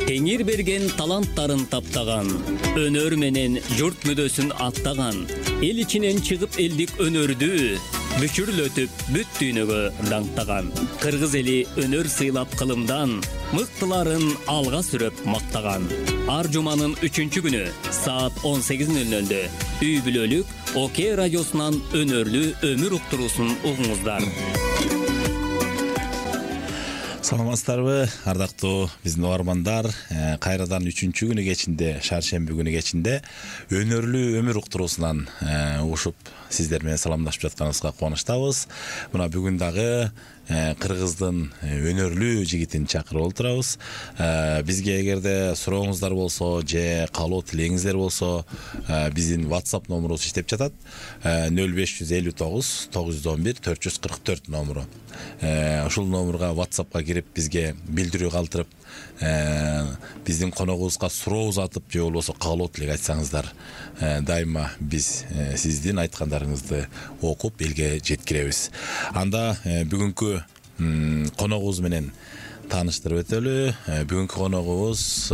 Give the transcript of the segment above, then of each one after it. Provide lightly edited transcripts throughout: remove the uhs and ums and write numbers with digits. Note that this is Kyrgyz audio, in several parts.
Теңир берген таланттарын таптаган, өнөр менен журт мүдөсүн аттаган, эл ичинен чыгып элдик өнөрдү бүчүрлөтүп бүт дүйнөгө даңктаган. Кыргыз эли өнөр сыйлап кылымдан, мыктыларын алга сүрөп мактаган. Ар жуманын 3-күнү саат 18:00 үй бүлөлүк ОК радиосунан өнөрлүү өмүр уктуруусун угуңуздар. Саламатсыздарбы, ардактуу биздин угармандар. Кайрадан 3-күнү кечинде, шаршемби күнү кечинде өнөрлүү өмүр уктуруусунан угушуп сиздер менен саламдашып жатканыбызга кубанычтабыз. Мына бүгүн дагы кыргыздын өнөрлүү жигитин чакырып отурабыз. Бизге эгерде сурооңуздар болсо же каалоо тилегиңиздер болсо, биздин WhatsApp номурубуз иштеп жатат. 0559 911 444 номуру. Ушул номурга WhatsAppка кирип бизге билдирүү калтырып, биздин коногубузга суроо узатып же болбосо каалоо тилек айтсаңыздар, дайыма биз сиздин айткандарыңызды окуп элге жеткиребиз. Анда бүгүнкү коногубуз менен тааныштырып өтөлү. Бүгүнкү коногубуз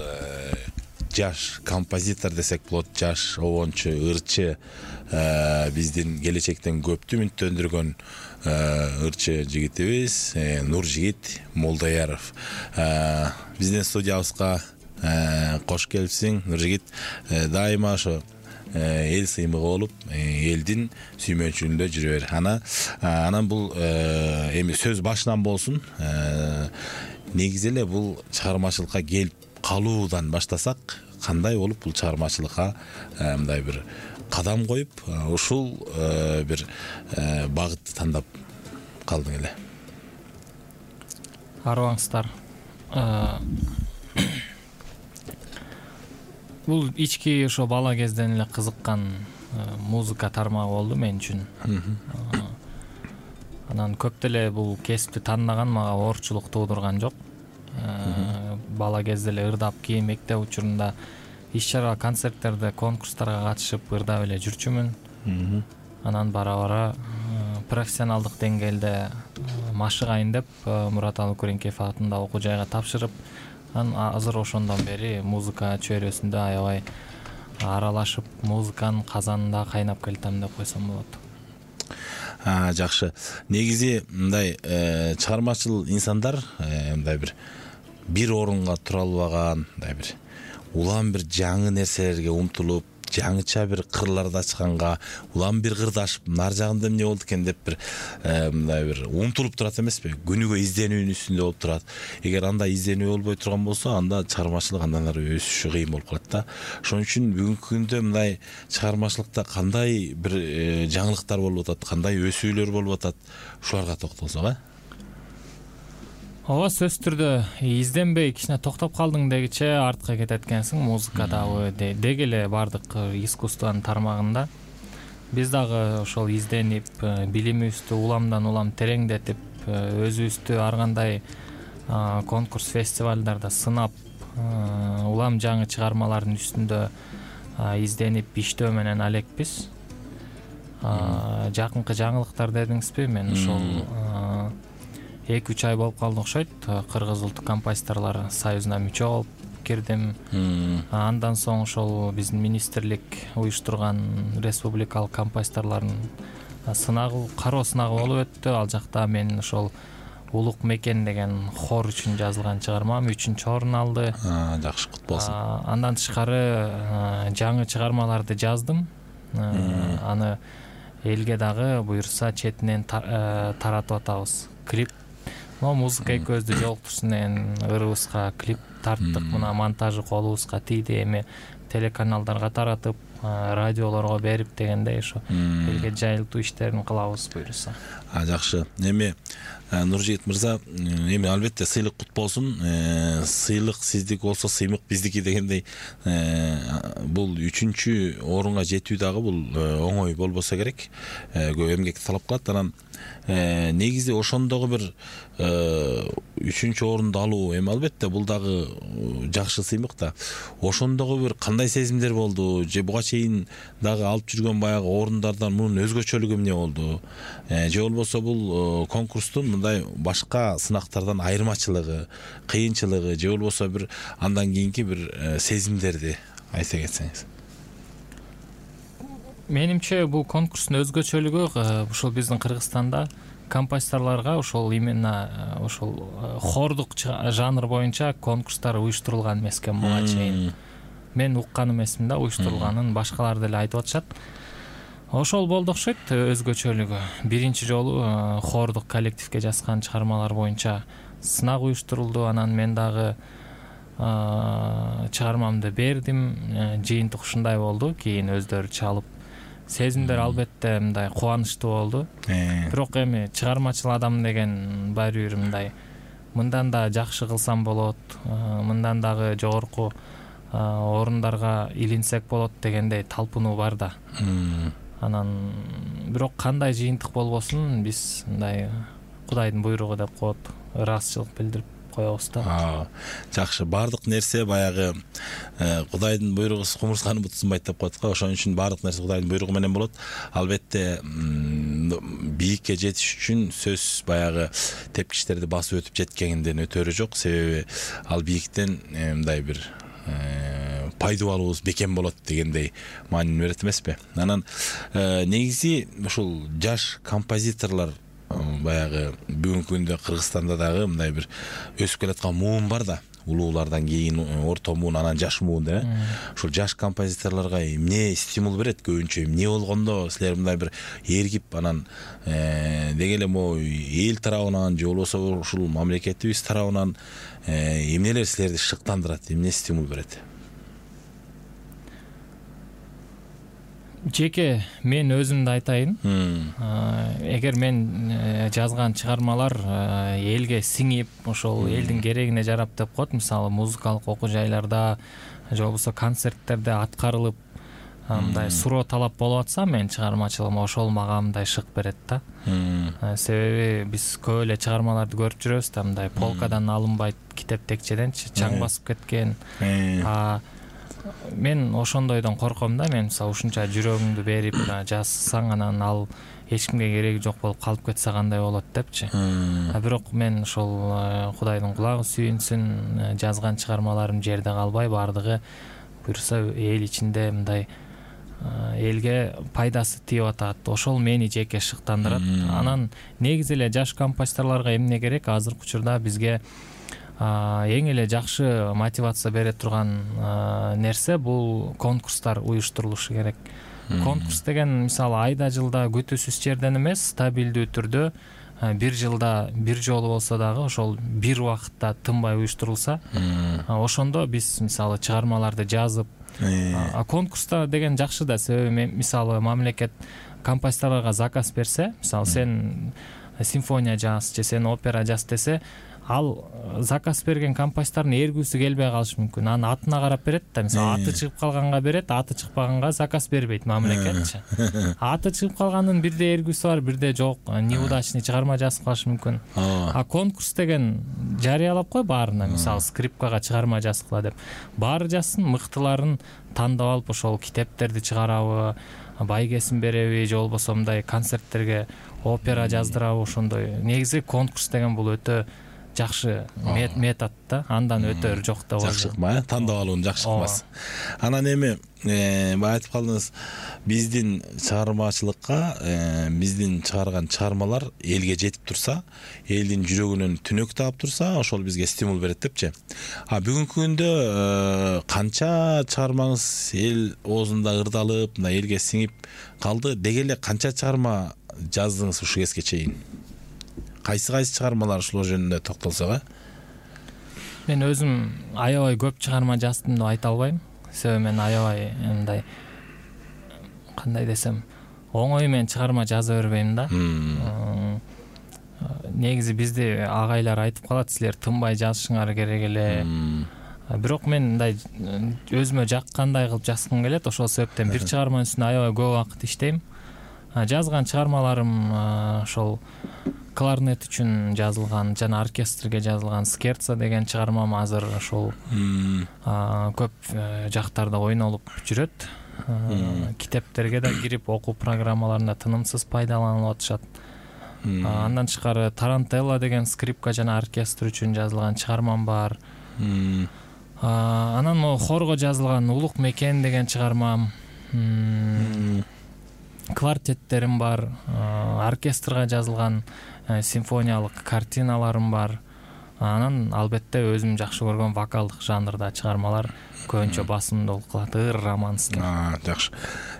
жаш композитор десек болот, жаш обончу, ырчы, биздин келечектен көптү үмүттөндүргөн ырчы жигитибиз Нуржигит Молдаяров. Биздин студиябызга кош келипсиң, Нуржигит. Дайыма ошо эл сыймыгы болуп, элдин сүймөнчүлүгүндө жүрө бер. Анан бул эми сөз башынан болсун. Негизи эле бул чыгармачылыкка келип калуудан баштасак, кандай болуп бул чыгармачылыкка мындай бир кадам коюп, ушул бир багытты тандап калдың эле? Арыбаңыздар. Бул ички ошо бала кезден эле кызыккан музыка тармагы болду мен үчүн. Анан көп деле бул кесипти тандаган мага оорчулук туудурган жок. Бала кезде эле ырдап кийин мектеп учурунда иш-чара, концерттерде, конкурстарга катышып ырдап эле жүрчүмүн. Анан бара-бара профессионалдык деңгээлде машыгайын деп Мураталы Күреңкеев атында окуу жайга тапшырып, азыр ошондон бери музыка чөйрөсүндө аябай аралашып, музыканын казанында кайнап келатам деп койсом болот. Жакшы. Негизи мындай чыгармачыл инсандар мындай бир орунга тура албаган, мындай бир улам бир жаңы нерселерге умтулуп, жаңыча бир кырларды ачканга, улам бир кырды ашып, нар жагында эмне болду экен деп бир мындай бир умтулуп турат эмеспи? Күнүгө изденүүнүн үстүндө болуп турат. Эгер анда изденүү болбой турган болсо, анда чыгармачылык андан ары өсүшү кыйын болуп калат да. Ошон үчүн бүгүнкү күндө мындай чыгармачылыкта кандай бир жаңылыктар болуп атат, кандай өсүүлөр болуп атат, ушуларга токтолсок, Ооба, сөзсүз түрдө изденбей кичине токтоп калдың дегиче артка кетет экенсиң. Музыка дагы деги эле бардык искусствонун тармагында. Биз дагы ошол изденип, билимибизди уламдан улам тереңдетип, өзүбүздү ар кандай конкурс, фестивалдарда сынап, улам жаңы чыгармалардын үстүндө изденип иштөө менен алекпиз. Жакынкы жаңылыктар дедиңизби? Мен ошол 2-3 ай болуп калды окшойт. Кыргыз улуттук композиторлор союзуна мүчө болуп кирдим. Андан соң ошол биздин министрлик уюштурган республикалык композиторлордун сынагы, кароо сынагы болуп өттү. Ал жакта мен ошол Улук мекен деген хор үчүн жазылган чыгармам 3-орун алды. Жакшы, кут болсун. Андан тышкары жаңы чыгармаларды жаздым. Аны элге дагы буюрса четинен таратып атабыз. Клип, музыка экөөбүздү жолуктурсун деген ырыбызга клип тарттык. Мына монтажы колубузга тийди. Эми телеканалдарга таратып, радиолорго берип дегендей ошо элге жайылтуу иштерин кылабыз буюрса. Жакшы. Эми Нуржигит мырза, эми албетте сыйлык кут болсун. Сыйлык сиздики болсо, сыймык биздики дегендей, бул 3-орунга жетүү дагы бул оңой болбосо керек. Көп эмгек талап кылат. Анан негизи ошондогу бир 3-орунду алуу, эми албетте бул дагы жакшы сыймык да. Ошондогу бир кандай сезимдер болду? Же буга чейин дагы алып жүргөн баягы орундардан мунун өзгөчөлүгү эмне болду? Же болбосо бул конкурстун мындай башка сынактардан айырмачылыгы, кыйынчылыгы, же болбосо бир андан кийинки бир сезимдерди айта кетсеңиз. Менимче бул конкурстун өзгөчөлүгү ушул биздин Кыргызстанда композиторлорго ошол именно ошол хордук жанр боюнча конкурстар уюштурулган эмес экен буга чейин. Мен уккан эмесмин да уюштурулганын, башкалар деле айтып атышат. Ошол болду окшойт өзгөчөлүгү. Биринчи жолу хордук коллективге жазган чыгармалар боюнча сынак уюштурулду. Анан мен дагы чыгармамды бердим. Жыйынтык ушундай болду. Кийин өздөрү чалып, сезимдер албетте мындай кубанычтуу болду. Бирок эми чыгармачыл адам деген баары бир мындай мындан да жакшы кылсам болот, мындан дагы жогорку орундарга илинсек болот дегендей талпынуу бар да. Анан бирок кандай жыйынтык болбосун биз мындай Кудайдын буйругу деп коет, ыраазычылык билдирип коебуз да. Жакшы, баардык нерсе баягы Кудайдын буйругу кумурсканы бутсунбайт деп коет го. Ошон үчүн баардык нерсе Кудайдын буйругу менен болот. Албетте бийикке жетиш үчүн сөз баягы тепкичтерди басып өтүп жеткенинден өтөрү жок. Себеби ал бийиктен мындай бир пайда алуубуз бекем болот дегендей маанини берет эмеспи? Анан негизи ушул жаш композиторлор баягы бүгүнкү күндө Кыргызстанда дагы мындай бир өсүп келаткан муун бар да. Улуулардан кийин орто муун, анан жаш муун деп. Ушул жаш композиторлорго эмне стимул берет көбүнчө? Эмне болгондо силер мындай бир эргип, анан деги эле могу эл тарабынан же болбосо ушул мамлекетибиз тарабынан эмнелер силерди шыктандырат, эмне стимул берет? Жеке мен өзүмдү айтайын. Эгер мен жазган чыгармалар элге сиңип, ошол элдин керегине жарап деп коет, мисалы музыкалык окуу жайларда же болбосо концерттерде аткарылып, мындай суроо талап болуп атса, мен чыгармачылыгым ошол мага мындай шык берет да. Себеби биз көп эле чыгармаларды көрүп жүрөбүз да, мындай полкадан алынбайт китеп текчеденчи чаң басып кеткен. Мен ошондойдон корком да. Мен мисалы ушунча жүрөгүңдү берип жазсаң, анан ал эч кимге кереги жок болуп калып кетсе кандай болот депчи. Бирок мен ошол Кудайдын кулагы сүйүнсүн, жазган чыгармаларым жерде калбай, баардыгы буюрса эл ичинде мындай элге пайдасы тийип атат. Ошол мени жеке шыктандырат. Анан негизи эле жаш композиторлорго эмне керек? Азыркы учурда бизге эң эле жакшы мотивация бере турган нерсе бул конкурстар уюштурулушу керек. Конкурс деген мисалы айда жылда күтүүсүз жерден эмес, стабилдүү түрдө бир жылда бир жолу болсо дагы ошол бир убакытта тынбай уюштурулса, ошондо биз мисалы чыгармаларды жазып, конкурста деген жакшы да. Себеби мисалы мамлекет композиторлорго заказ берсе, мисалы сен симфония жаз же сен опера жаз десе, ал заказ берген композитордун эргүүсү келбей калышы мүмкүн. Анын атына карап берет да. Мисалы аты чыгып калганга берет, аты чыкпаганга заказ бербейт мамлекетчи. Аты чыгып калганын бирде эргүүсү бар, бирде жок. Неудачный чыгарма жазып калышы мүмкүн. Конкурс деген жарыялап кой баарына. Мисалы скрипкага чыгарма жазгыла деп. Баары жазсын, мыктыларын тандап алып ошол китептерди чыгарабы, байгесин береби, же болбосо мындай концерттерге опера жаздырабы, ошондой. Негизи конкурс деген бул өтө жакшы метод да. Андан өтөр жок да. Жакшы кылма, тандап алуун жакшы кылмас. Анан эми бая айтып калдыңыз, биздин чыгармачылыкка биздин чыгарган чыгармалар элге жетип турса, элдин жүрөгүнөн түнөк таап турса, ошол бизге стимул берет депчи. Бүгүнкү күндө канча чыгармаңыз эл оозунда ырдалып, мына элге сиңип калды? Деги эле канча чыгарма жаздыңыз ушу кезге чейин? Кайсы чыгармалар ушул жөнүндө токтолсок? Мен өзүм аябай көп чыгарма жаздым деп айта албайм. Себеби мен аябай мындай, кандай десем, оңой менен чыгарма жаза бербейм да. Негизи бизде агайлар айтып калат, силер тынбай жазышыңар керек эле. Бирок мен мындай өзүмө жаккандай кылып жазгым келет. Ошол себептен бир чыгарманын үстүнө аябай көп убакыт иштейм. Жазган чыгармаларым ошол кларнет үчүн жазылган жана оркестрге жазылган Скерца деген чыгармам азыр ошол көп жактарда ойнолуп жүрөт. Китептерге да кирип окуу программаларында тынымсыз пайдаланылып атышат. Андан тышкары Тарантелла деген скрипка жана оркестр үчүн жазылган чыгармам бар. Анан могу хорго жазылган Улук мекен деген чыгармам, квартеттерим бар, оркестрга жазылган симфониялык картиналарым бар. Анан албетте өзүм жакшы көргөн вокалдык жанрда чыгармалар көбүнчө басымдуулук кылат, ыр, романс. Жакшы.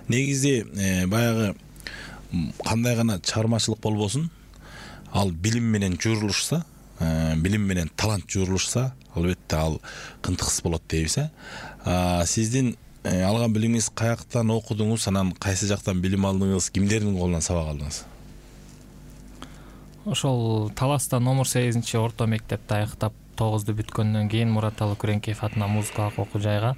Негизи баягы кандай гана чыгармачылык болбосун, ал билим менен журулушса, билим менен талант журулушса, албетте ал кынтыксыз болот дейбиз. Сиздин алган билимиңиз каяктан окудуңуз, анан кайсы жактан билим алдыңыз, кимдердин колунан сабак алдыңыз? Ошол Таласта номер 8 орто мектепти аяктап 9-ду бүткөндөн кийин Мураталы Күреңкеев атынан музыкалык окуу жайга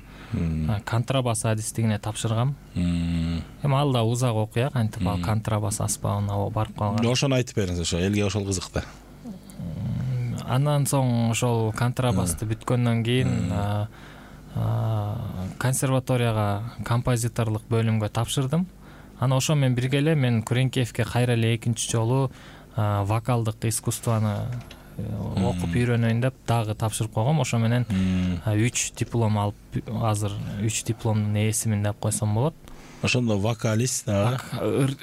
контрабас адистигине тапшыргам. Эми ал да узак окуя, кантип ал контрабас аспабына барып калган. Ошону айтып бериңиз, ошо элге ошол кызык да. Андан соң ошол контрабасты бүткөндөн кийин консерваторияга композиторлук бөлүмгө тапшырдым. Ана ошо менен бирге эле мен Күреңкеевке кайра эле экинчи жолу вокалдык искусствону окуп үйрөнөйүн деп дагы тапшырып койгом. Ошо менен 3 диплом алып, азыр 3 дипломдун ээсимин деп койсом болот. Ошондо вокалист,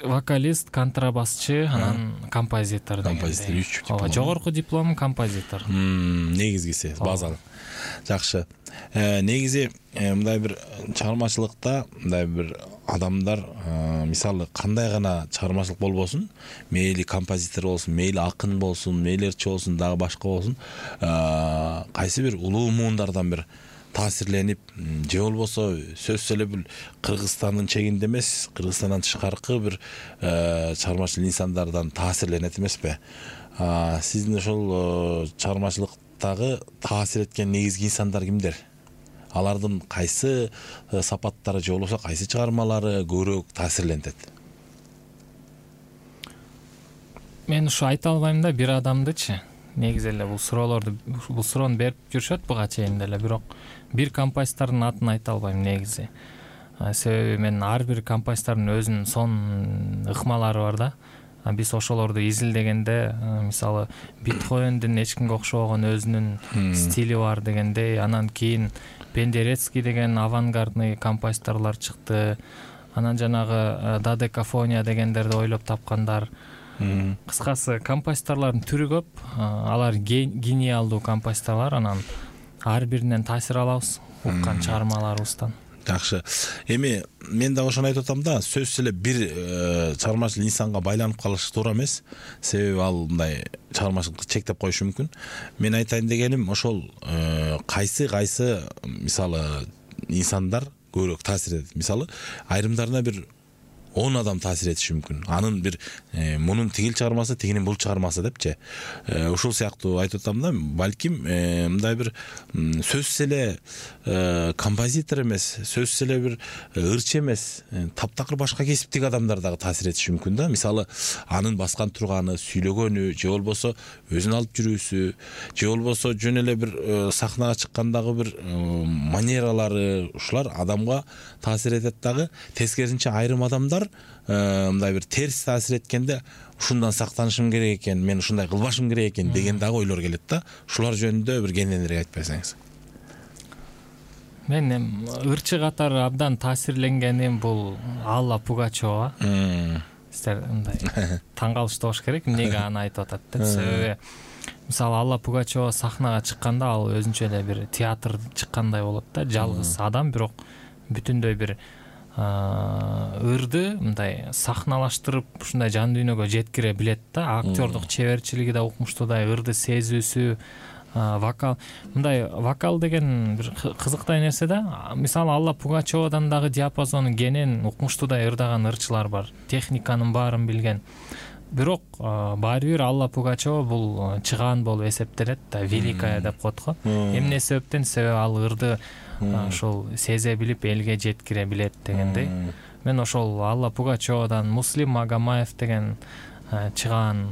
вокалист, контрабасчы, анан композитор. Композитор 3 диплом. Жогорку диплом композитор. Негизгиси базалык. Жакшы. Негизи мындай бир чыгармачылыкта мындай бир адамдар мисалы кандай гана чыгармачылык болбосун, мейли композитор болсун, мейли акын болсун, мейли ырчы болсун, дагы башка болсун, кайсы бир улуу муундардан бир таасирленип, же болбосо сөзсүз эле бир Кыргызстандын чегинде эмес, Кыргызстандан тышкаркы бир чыгармачыл инсандардан таасирленет эмеспи? Сиздин ошол чыгармачылыктагы таасир эткен негизги инсандар кимдер? Алардын кайсы сапаттары же болбосо кайсы чыгармалары көбүрөөк таасирлентет? Мен ушу айта албайм да, бир адамдычы. Негизи эле бул суроону берип жүрүшөт буга чейин деле, бирок бир композитордун атын айта албайм негизи. Себеби мен ар бир композитордун өзүнүн сонун ыкмалары бар да. Биз ошолорду изилдегенде, мисалы Бетховендин эч кимге окшобогон өзүнүн стили бар дегендей, анан кийин Пендерецкий деген авангардный композиторлор чыкты. Анан жанагы Додекафония дегендерди ойлоп тапкандар. Кыскасы композиторлордун түрү көп, алар гениалдуу композиторлор, анан ар биринен таасир алабыз уккан чыгармаларыбыздан. Жакшы. Эми мен да ошону айтып атам да, сөзсүз эле бир чыгармачыл инсанга байланып калыш туура эмес. Себеби ал мындай чыгармачылыкты чектеп коюшу мүмкүн. Мен айтайын дегеним ошол кайсы мисалы инсандар көбүрөөк таасир этет. Мисалы айрымдарына бир 10 адам таасир этиши мүмкүн. Анын бир мунун тигил чыгармасы, тигинин бул чыгармасы депчи. Ушул сыяктуу айтып атам да, балким мындай бир сөзсүз эле композитор эмес, сөзсүз эле бир ырчы эмес, таптакыр башка кесиптеги адамдар дагы таасир этиши мүмкүн да. Мисалы анын баскан турганы, сүйлөгөнү, же болбосо өзүн алып жүрүүсү, же болбосо жөн эле бир сахнага чыккандагы бир манералары, ушулар адамга таасир этет дагы. Тескерисинче айрым адамдар мындай бир терс таасир эткенде ушундан сактанышым керек экен, мен ушундай кылбашым керек экен деген дагы ойлор келет да. Ушулар жөнүндө бир кененирээк айтып берсеңиз. Мен ырчы катары абдан таасирленгеним бул Алла Пугачева. Сиздер мындай таң калыштуу болуш керек, эмнеге аны айтып атат деп. Себеби мисалы Алла Пугачева сахнага чыкканда ал өзүнчө эле бир театр чыккандай болот да, жалгыз адам, бирок бүтүндөй бир ырды мындай сахналаштырып ушундай жан дүйнөгө жеткире билет да. Актёрдук чеберчилиги да укмуштуудай, ырды сезүүсү, вокал. Мындай вокал деген бир кызыктай нерсе да. Мисалы Алла Пугачевадан дагы диапазону кенен, укмуштуудай ырдаган ырчылар бар. Техниканын баарын билген. Бирок баары бир Алла Пугачева бул чыгаан болуп эсептелет да, великая деп коет го. Эмне себептен? Себеби ал ырды ошол сезе билип элге жеткире билет дегендей. Мен ошол Алла Пугачевадан, Муслим Магомаев деген чыган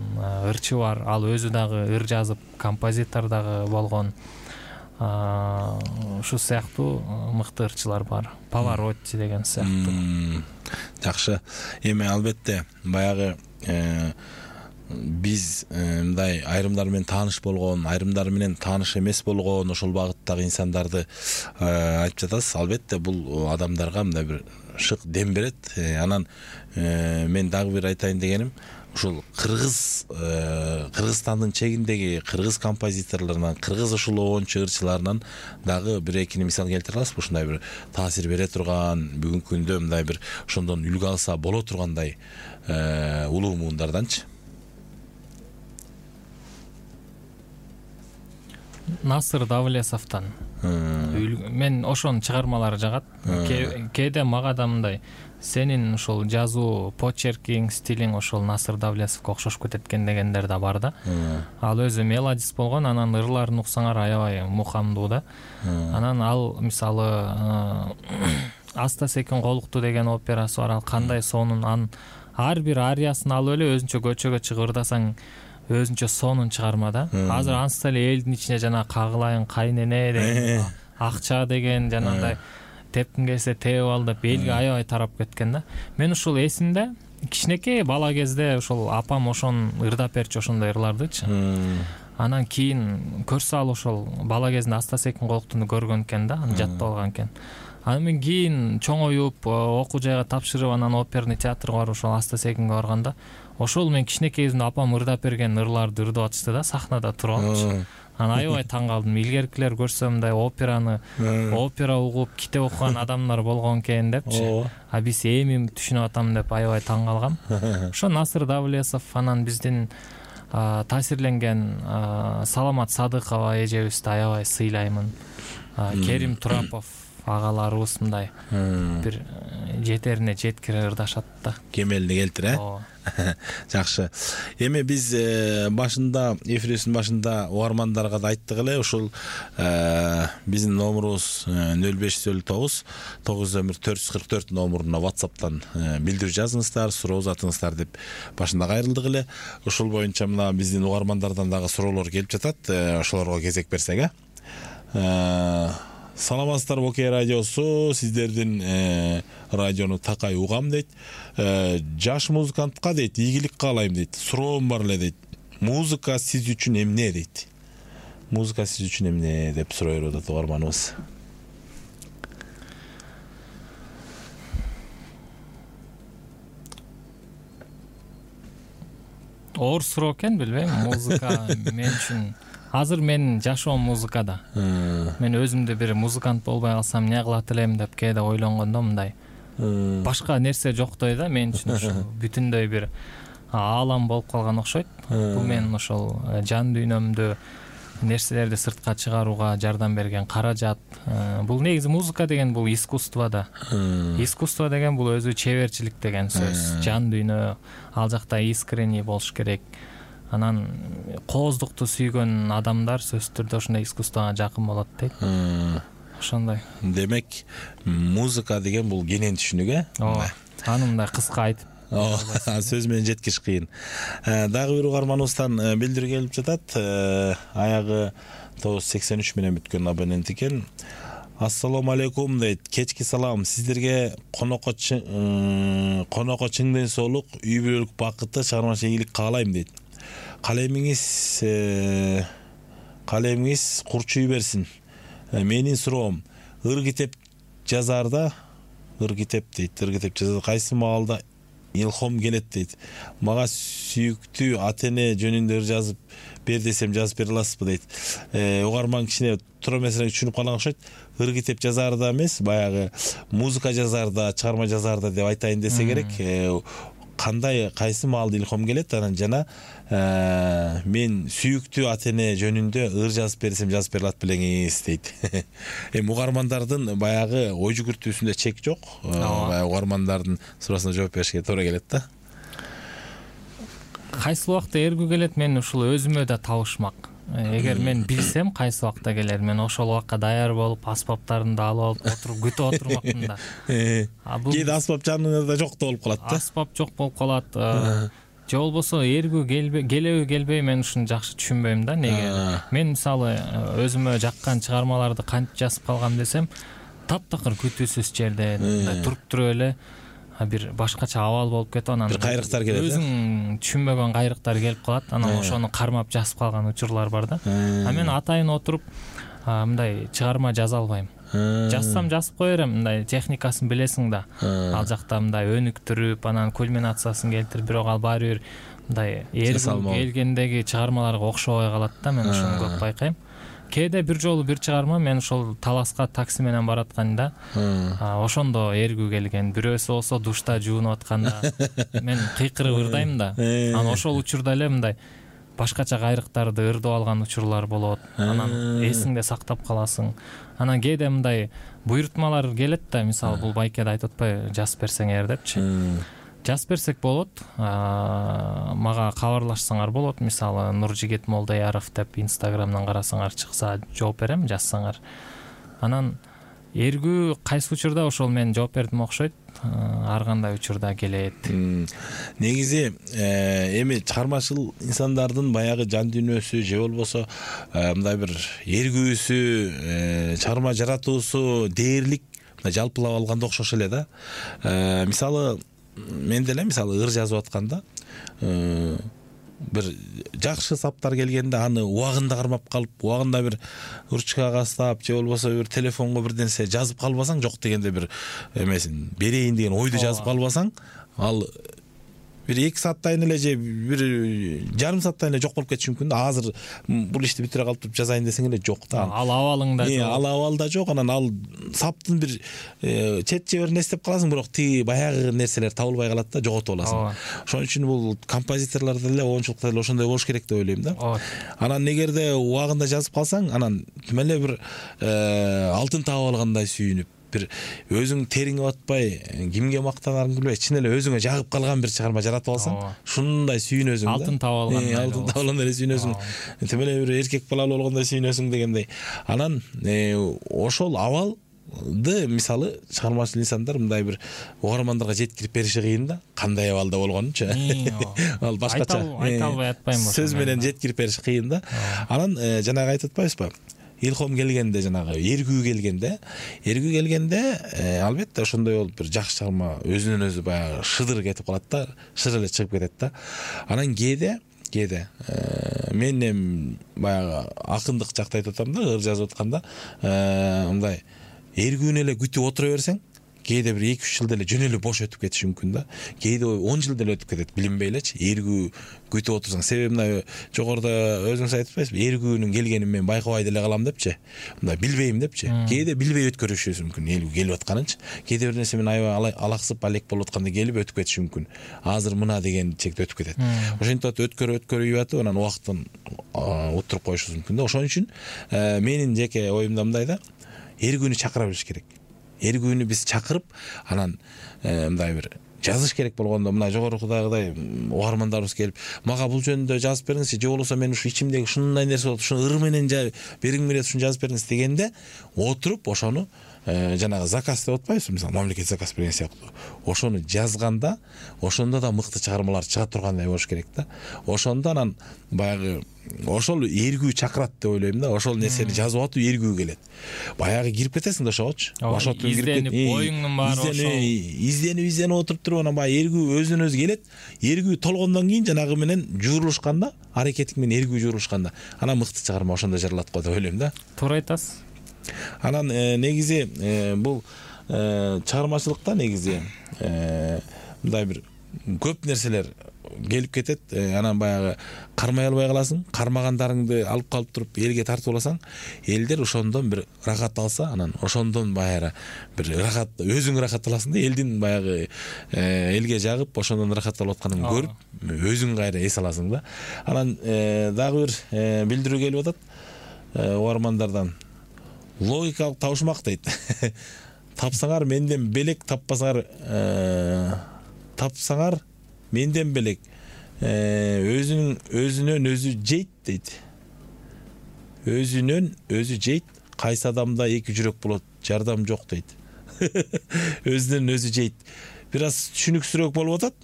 ырчы бар. Ал өзү дагы ыр жазып, композитор дагы болгон. Ушу сыяктуу мыкты ырчылар бар. Паваротти деген сыяктуу. Жакшы. Эми албетте баягы биз мындай айрымдар менен тааныш болгон, айрымдар менен тааныш эмес болгон ошол багыттагы инсандарды айтып жатасыз. Албетте бул адамдарга мындай бир шык дем берет. Анан мен дагы бир айтайын дегеним, ушул Кыргызстандын чегиндеги кыргыз композиторлорунан, кыргыз ушул оончу ырчыларынан дагы бир экини мисал келтире аласызбы? Ушундай бир таасир бере турган, бүгүнкү күндө мындай бир ошондон үлгү алса боло тургандай улуу муундарданчы? Насыр Давлесовдон мен ошонун чыгармалары жагат. Кээде мага да мындай сенин ушул жазуу почеркиң, стилиң ошол Насыр Давлесовго окшош кетет экен дегендер да бар да. Ал өзү мелодист болгон, анан ырларын уксаңар аябай мукамдуу да. Анан ал мисалы Аста секин колукту деген операсы бар. Ал кандай сонун, ар бир ариясын алып эле өзүнчө көчөгө чыгып ырдасаң өзүнчө сонун чыгарма да. Азыр ансы эле элдин ичинде жана Кагылайын кайнене деген, Акча деген жанагындай тепкин келсе теп ал деп элге аябай тарап кеткен да. Мен ушул эсимде кичинекей бала кезде ушул апам ошон ырдап берчү, ошондой ырлардычы. Анан кийин көрсө ал ошол бала кезинде Аста секин колуктуну көргөн экен да, аны жаттап алган экен. Анан мен кийин чоңоюп окуу жайга тапшырып, анан оперный театрга барып ошол Аста секинге барганда ошол мен кичинекей кезимде апам ырдап берген ырларды ырдап атышты да, сахнада туруп алчы. Анан аябай таң калдым. Илгеркилер көрсө мындай опера угуп, китеп окуган адамдар болгон экен депчи. А биз эми түшүнүп атам деп аябай таң калгам. Ошо Насыр Давлесов, анан биздин таасирленген Саламат Садыкова эжебизди аябай сыйлаймын. Керим Турапов агаларыбыз мындай бир жетерине жеткире ырдашат да. Кемелди келтир, Жакшы. Эми биз башында, эфирибиздин башында угармандарга да айттык эле, ушул биздин номурубуз 0509 901 номуруна WhatsApp'тан билдирүү жазыңыздар, суроо узатыңыздар деп башында кайрылдык эле. Ушул боюнча мына биздин угармандардан дагы суроолор келип жатат. Ошолорго кезек берсек, Саламатсыздарбы Окей радиосу, сиздердин радиону такай угам дейт. Жаш музыкантка дейт, ийгилик каалайм дейт. Суроом бар эле дейт. Музыка сиз үчүн эмне дейт. Музыка сиз үчүн эмне деп суроо берип атат угарманыбыз. Оор суроо экен, билбейм. Музыка мен үчүн азыр менин жашоом музыкада. Мен өзүмдү бир музыкант болбой калсам эмне кылат элем деп кээде ойлонгондо мындай башка нерсе жоктой да мен үчүн. Ошо бүтүндөй бир аалам болуп калган окшойт. Бул менин ошол жан дүйнөмдү нерселерди сыртка чыгарууга жардам берген каражат. Бул негизи музыка деген бул искусство да. Искусство деген бул өзү чеберчилик деген сөз. Жан дүйнө ал жакта искренний болуш керек. Анан кооздукту сүйгөн адамдар сөзсүз түрдө ошондой искусствого жакын болот дейт. Ошондой. Демек, музыка деген бул кенен түшүнүк, Аны мындай кыска айтып сөз менен жеткиш кыйын. Дагы бир угарманыбыздан билдирүү келип жатат. Аягы 983 менен бүткөн абонент экен. Ассаламу алейкум дейт. Кечки салам. Сиздерге конокко чың ден соолук, үй бүлөлүк бакыты, чыгармачылык ийгилик каалайм дейт. Калемиңиз курчуй берсин. Менин суроом, ыр китеп жазаарда кайсы маалда илхом келет дейт. Мага сүйүктүү ата-эне жөнүндө ыр жазып бер десем жазып бере аласызбы дейт. Угарман кичине туура эмесин түшүнүп калган окшойт. Ыр китеп жазаарда эмес, баягы музыка жазаарда, чыгарма жазаарда деп айтайын десе керек. Кайсы маалда илхом келет, анан жана мен сүйүктүү ата-эне жөнүндө ыр жазып берсем жазып бере алат белеңиз дейт. Эми угармандардын баягы ой жүгүртүүсүндө чек жок. Баягы угармандардын суроосуна жооп беришке туура келет да. Кайсы убакта эргүү келет, мен ушул өзүмө да табышмак. Эгер мен билсем кайсы убакта келер, мен ошол убакка даяр болуп, аспаптарымды алып отуруп күтүп отурмакмын да. Кээде аспап жаныңызда жок да болуп калат да. Аспап жок болуп калат. же болбосо эргүү келеби келбей, мен ушуну жакшы түшүнбөйм да. Неге мен мисалы өзүмө жаккан чыгармаларды кантип жазып калгам десем, таптакыр күтүүсүз жерде туруп туруп эле бир башкача абал болуп кетип, анан бир кайрыктар келет, өзүң түшүнбөгөн кайрыктар келип калат, анан ошону кармап жазып калган учурлар бар да. Мен атайын отуруп мындай чыгарма жаза албайм. Жазсам жазып кое берем, мындай техникасын билесиң да. Ал жакта мындай өнүктүрүп, анан кульминациясын келтирип, бирок ал баары бир мындай келгендеги чыгармаларга окшобой калат да. Мен ушуну көп байкайм. Кээде бир жолу бир чыгарма, мен ошол Таласка такси менен баратканда, ошондо эргүү келген. Бирөөсү болсо душта жуунуп атканда мен кыйкырып ырдайм да. Анан ошол учурда эле мындай башкача кайрыктарды ырдып алган учурлар болот. Анан эсиңде сактап каласың. Анан кээде мындай буйрутмалар келет да, мисалы бул байкеде айтып атпайбы, жазып берсең депчи. Жазып берсек болот, мага кабарлашсаңар болот. Мисалы Нуржигит Молдаяров деп Инстаграмдан карасаңар чыкса, жооп берем, жазсаңар. Анан эргүү кайсы учурда ошол мен жооп бердим окшойт, ар кандай учурда келет. Негизи эми чыгармачыл инсандардын баягы жан дүйнөсү же болбосо мындай бир эргүүсү, чыгарма жаратуусу дээрлик жалпылап алганда окшош эле да. Мисалы мен деле ыр жазып атканда бир жакшы саптар келгенде аны убагында кармап калып, убагында бир ручкага астап же болбосо бир телефонго бир нерсе жазып калбасаң, жок дегенде бир эмесин берейин деген ойду жазып калбасаң, ал бир 2 сааттан эле же бир жарым сааттан эле жок болуп кетиши мүмкүн да. Азыр бул ишти бүтүрө калып жазайын десең эле жок да. Ал абалыңда жок. Ал абалда жок. Анан ал саптын бир чет жеберин эстеп каласың, бирок тиги баягы нерселер табылбай калат да, жоготуп аласың. Ошон үчүн бул композиторлор деле, оюнчулукта деле ошондой болуш керек деп ойлойм да. Анан эгерде убагында жазып калсаң, анан тим эле бир алтын таап алгандай сүйүнүп, бир өзүң териңе батпай, кимге мактанарын билбей, чын эле өзүңө жагып калган бир чыгарма жаратып алсаң, ушундай сүйүнөсүң да. Алтын таап алгандай. Алтын таап алгандай сүйүнөсүң. Тим эле бир эркек балалуу болгондой сүйүнөсүң дегендей. Анан ошол абалды мисалы чыгармачыл инсандар мындай бир угармандарга жеткирип бериши кыйын да. Кандай абалда болгонунчу. Ал башкача. Айта албай атпайм. Сөз менен жеткирип бериши кыйын да. Анан жанагы айтып атпайбызбы? Илхом келгенде, жанагы эргүү келгенде, албетте ошондой болуп бир жакшы чыгарма өзүнөн өзү баягы шыдыр кетип калат да, шыр эле чыгып кетет да. Анан кээде мен эми баягы акындык жакта айтып атам да, ыр жазып атканда, мындай эргүүнү эле күтүп отура берсең, кээде бир 2-3 жыл деле жөн эле бош өтүп кетиши мүмкүн да. Кээде 10 жыл деле өтүп кетет, билинбей элечи. Эргүү күтүп отурсаң, себеби мына жогоруда өзүңүз айтып атпайсызбы, эргүүнүн келгенин мен байкабай деле калам депчи. Мындай билбейм депчи. Кээде билбей өткөрүшүбүз мүмкүн, эргүү келип атканынчы. Кээде бир нерсе мен аябай алаксып, алек болуп атканда келип өтүп кетиши мүмкүн. Азыр мына деген чекте өтүп кетет. Ошентип өткөрүп атып, анан убактын утуруп коюшубуз мүмкүн да. Ошон үчүн менин жеке оюмда мындай да, эргүүнү чакыра билиш керек. Эргүүнү биз чакырып, анан мындай бир жазыш керек болгондо, мына жогорудагыдай угармандарыбыз келип, мага бул жөнүндө жазып бериңизчи, же болбосо мен ушу ичимдеги ушундай нерсе болот, ушуну ыр менен бериң келет, ушуну жазып бериңиз дегенде, отуруп ошону жанагы заказ деп атпайбызбы, мисалы мамлекет заказ берген сыяктуу. Ошону жазганда, ошондо да мыкты чыгармалар чыга тургандай болуш керек да. Ошондо анан баягы ошол эргүү чакырат деп ойлойм да. Ошол нерсени жазып атып эргүү келет. Баягы кирип кетесиң да ошогочу. Башотун кирип кетип, боюңдун баары ошол изденип отуруп туруп, анан баягы эргүү өзүнөн өзү келет. Эргүү толгондон кийин жанагы менен жуурулушканда, аракетиң менен эргүү жуурулушканда, анан мыкты чыгарма ошондо жаралат го деп ойлойм да. Туура айтасыз. Анан негизи бул чыгармачылыкта негизи мындай бир көп нерселер келип кетет. Анан баягы кармай албай каласың. Кармагандарыңды алып калып туруп элге тартып аласаң, элдер ошондон бир рахат алса, анан ошондон баягы бир рахат, өзүң рахат аласың да, элдин баягы элге жагып ошондон рахат алып атканын көрүп, өзүң кайра эс аласың да. Анан дагы бир билдирүү келип атат угармандардан. Логикалык табышмак дейт. Тапсаңар менден белек, тапсаңар менден белек. Өзүнөн өзү жейт дейт. Өзүнөн өзү жейт. Кайсы адамда 2 жүрөк болот, жардам жок дейт. Өзүнөн өзү жейт. Бир аз түшүнүксүрөөк болуп атат.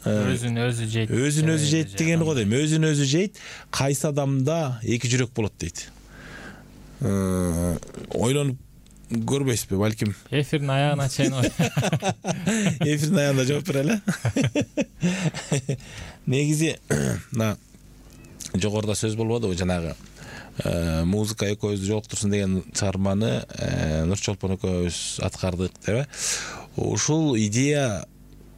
өзүн өзү жейт. Өзүн өзү жейт дегени го дейм. Өзүн өзү жейт. Кайсы адамда эки жүрөк болот дейт. Ойлонуп көрбөйсүзбү, балким. Эфирдин аягына чейин Эфирдин аягында жооп берели. Негизи мына жогоруда сөз болбодубу, жанагы музыка экөөбүздү жолуктурсун деген чыгарманы Нурчолпон экөөбүз аткардык деп. Ушул идея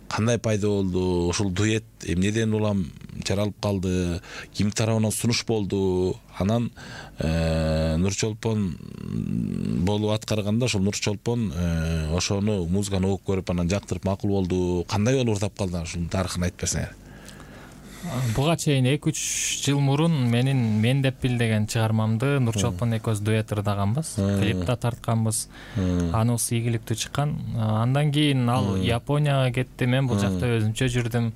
кандай пайда болду? Ушул дуэт эмнеден улам жаралып калды? Ким тарабынан сунуш болду? Анан Нурчолпон болуп аткарганда ошол Нурчолпон ошону музыканы угуп көрүп анан жактырып макул болду. Кандай болуп ырдап калды? Ушунун тарыхын айтып берсеңер. Буга чейин 2-3 жыл мурун мен деп бил деген чыгармамды Нурчолпон экөөбүз дуэт ырдаганбыз, клип да тартканбыз. Анысы ийгиликтүү чыккан. Андан кийин ал Японияга кетти, мен бул жакта өзүмчө жүрдүм.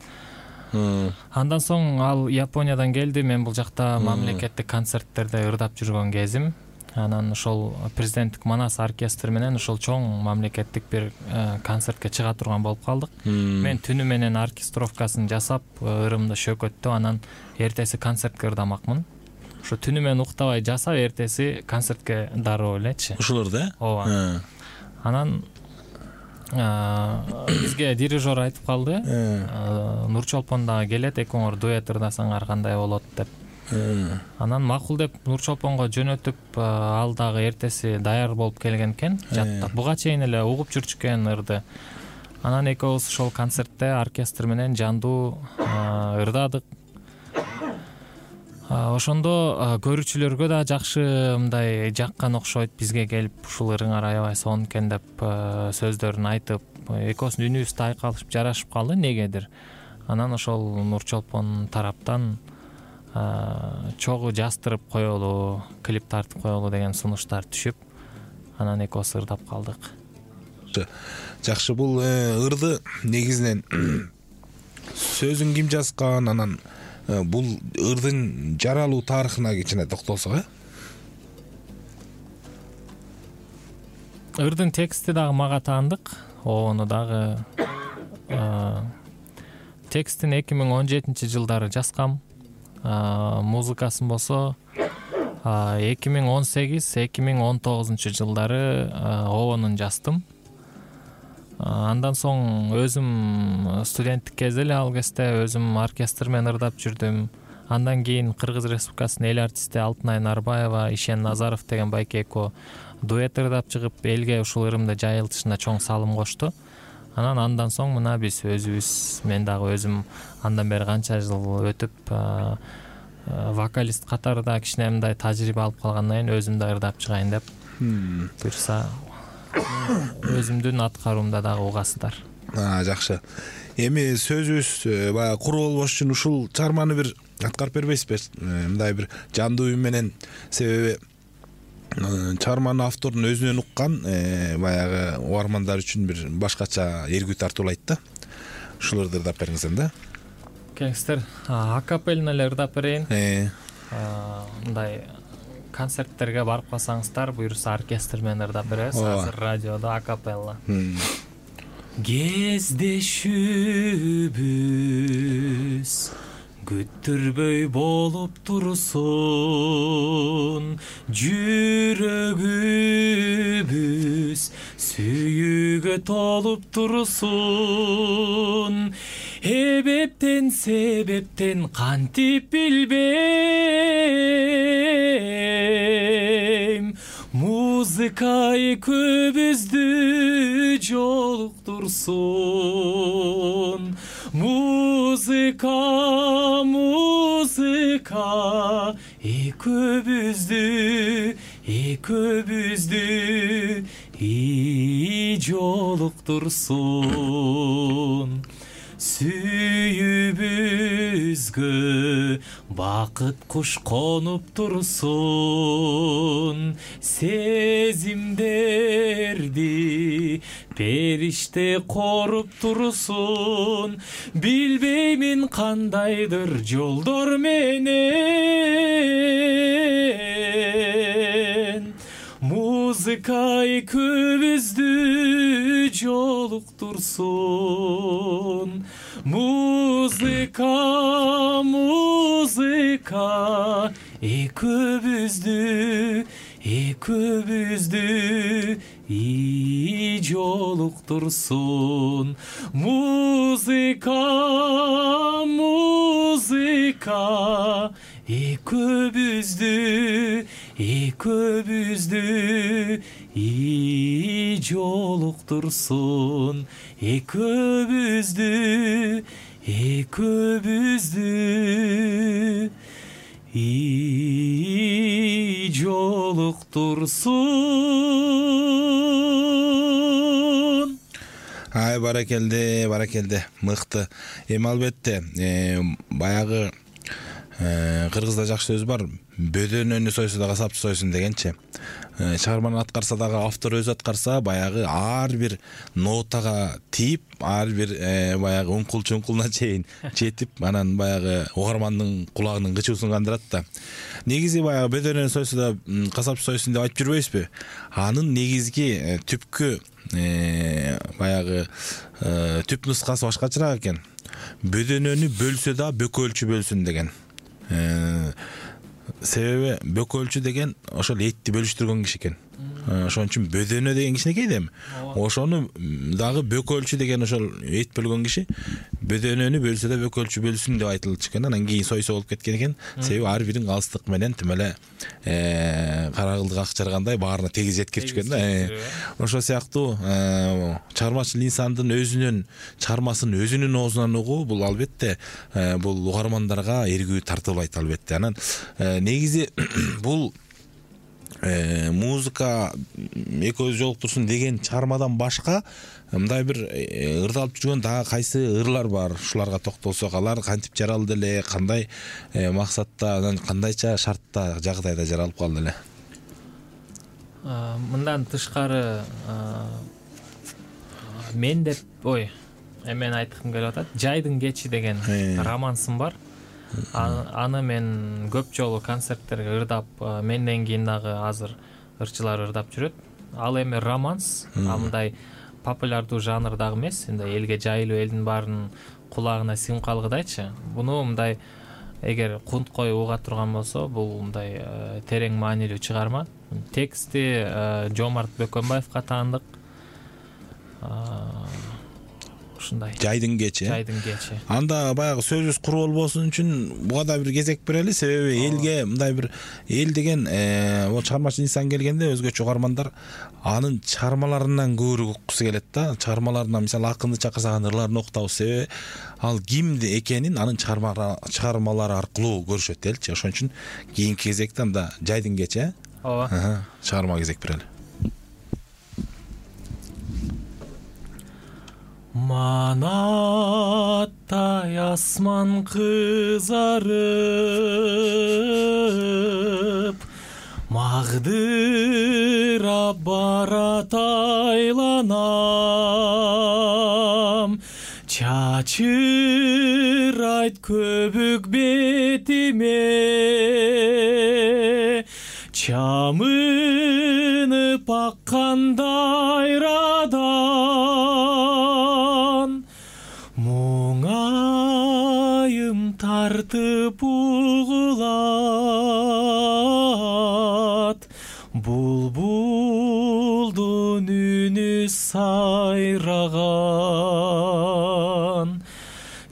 Андан соң ал Япониядан келди, мен бул жакта мамлекеттик концерттерде ырдап жүргөн кезим. Анан ошол президенттик Манас оркестри менен ошол чоң мамлекеттик бир концертке чыга турган болуп калдык. Мен түнү менен оркестровкасын жасап, ырымды шөкөттү, анан эртеси концертке ырдамакмын. Ошо түнү менен уктабай жасап, эртеси концертке дароо элечи. Ушуларды? Ооба. Анан бизге дирижер айтып калды, Нурчолпон дагы келет, экөөңөр дуэт ырдасаңар кандай болот деп. Анан макул деп Нурчолпонго жөнөтүп, ал дагы эртеси даяр болуп келген экен. Жаттап буга чейин эле угуп жүрчү экен ырды. Анан экөөбүз ошол концертте оркестр менен жандуу ырдадык. Ошондо көрүүчүлөргө да жакшы мындай жаккан окшойт, бизге келип ушул ырыңар аябай сонун экен деп сөздөрүн айтып, экөөбүздүн үнүбүз да айкалышып жарашып калды негедир. Анан ошол Нурчолпон тараптан чогуу жастырып коелу, клип тартып коелу деген сунуштар түшүп, анан экөөбүз ырдап калдык. Жакшы, бул ырды негизинен сөзүн ким жазган, анан бул ырдын жаралуу тарыхына кичине токтолсок, Ырдын тексти дагы мага таандык. Ону дагы текстин 2017-жылдары жазгам. Музыкасын болсо 2018-2019 жылдары обонун жаздым. Андан соң өзүм студенттик кезде эле ал кезде өзүм оркестр менен ырдап жүрдүм. Андан кийин Кыргыз Республикасынын эл артисти Алтынай Нарбаева, Ишен Назаров деген байке экөө дуэт ырдап чыгып, элге ушул ырымды жайылтышына чоң салым кошту. Андан соң мына биз өзүбүз, мен дагы өзүм андан бери канча жыл өтүп вокалист катарында кичине мындай тажрыйба алып калгандан кийин өзүм да ырдап чыгайын деп буйрса өзүмдүн аткаруумда дагы угасыздар. Жакшы. Эми сөзүбүз баягы куру болбош үчүн ушул чыгарманы бир аткарып бербейсизби? Мындай бир жандуу үн менен, себеби чыгарманын автордун өзүнөн уккан баягы угармандар үчүн бир башкача эргүү тартуулайт да. Ушуларды ырдап бериңиздер да. Келиңиздер, акапелна эле ырдап берейин. Мындай концерттерге барып калсаңыздар, буюрса оркестр менен ырдап беребиз. Азыр радиодо акапелла. Кездешүүбүз күттүрбөй болуп турсун, жүрөгүбүз сүйүүгө толуп турсун. Эбептен себептен кантип билбейм, музыка экөөбүздү жолуктурсун. Музыка экөөбүздү жолуктурсун. Сүйүүбүзгө бакыт куш конуп турсун. Сезимдерди периште коруп турсун. Билбеймин кандайдыр жолдор менен музыка экөөбүздү жолуктурсун. Музыка экөөбүздү жолуктурсун. Музыка экөөбүздү жолуктурсун. Экөөбүздү жолуктурсун. Ай, баракелде, мыкты. Эми албетте, баягы кыргызда жакшы сөз бар. Бөдөнөнү сойсо да касапчы сойсун дегенчи. Чыгарманы аткарса дагы автор өзү аткарса, баягы ар бир нотага тийип, ар бир баягы уңкул-чуңкулуна чейин жетип, анан баягы угармандын кулагынын кычуусун кандырат да. Негизи баягы бөдөнөнү сойсо да касапчы сойсун деп айтып жүрбөйбүзбү? Анын негизги түпкү баягы түп нускасы башкачараак экен. Бөдөнөнү бөлсө да бөкөлчү бөлсүн деген. Себеби бөкөлчү деген ошол этти бөлүштүргөн киши экен. Ошон үчүн бөдөнө деген кичинекей дем. Ошону дагы бөкөлчү деген ошол эт бөлгөн киши бөдөнөнү бөлсө да бөкөлчү бөлсүн деп айтылчу экен. Анан кийин сойсо болуп кеткен экен. Себеби ар бирин алыстык менен тим эле карагылдык акчаргандай баарына тегиз жеткирчү экен да. Ошол сыяктуу чыгармачыл инсандын өзүнүн чыгармасын өзүнүн оозунан угуу бул албетте бул угармандарга эргүү тартуулайт албетте. Анан негизи бул музыка экөөбүз жолуктурсун деген чыгармадан башка мындай бир ырдалып жүргөн дагы кайсы ырлар бар. Ушуларга токтолсок, алар кантип жаралды эле, кандай максатта, анан кандайча шартта, жагдайда жаралып калды эле? Мындан тышкары мен деп эмен айткым келип атат. Жайдын кечи деген романсым бар. Аны мен көп жолу концерттерге ырдап, менден кийин дагы азыр ырчылар ырдап жүрөт. Ал эми романс, мындай популярдуу жанр дагы эмес, мындай элге жайылып, элдин баарынын кулагына сиңип калгыдайчы. Буну мындай эгер кунт коюп уга турган болсо, бул мындай терең маанилүү чыгарма. Тексти Жомарт Бөкөнбаевка таандык. Ушундай. Жайдын кечи. Анда баягы сөзүбүз куру болбосун үчүн буга да бир кезек берели. Себеби элге мындай бир эл деген чыгармачыл инсан келгенде өзгөчө угармандар анын чыгармаларынан көбүрөөк уккусу келет да. Чыгармаларынан мисалы акынды чакырсак анын ырларын окутабыз. Себеби ал кимди экенин анын чыгармалары аркылуу көрүшөт элчи. Ошон үчүн кийинки кезекте анда Жайдын кечи. Ооба. Чыгарма кезек берели. Манаттай асман кызарып, магдырап барат айланам. Чачырайт көбүк бетиме, чамынып аккандай радан. Муңайым тартып угулат, булбулдун үнү сайраган.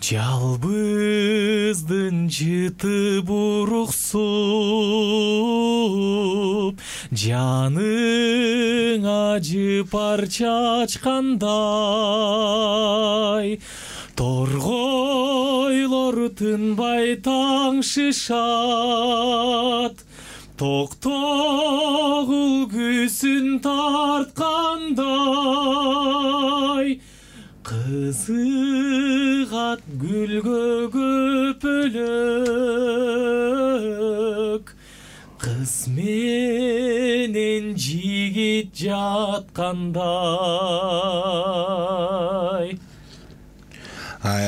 Жалбыздын жыты буруксуп, жаның ажы парча ачкандай. Торгойлор тынбай таңшышат, токтогул күсүн тарткандай. Кызыгат гүлгө көпөлөк, кыз менен жигит жаткандай.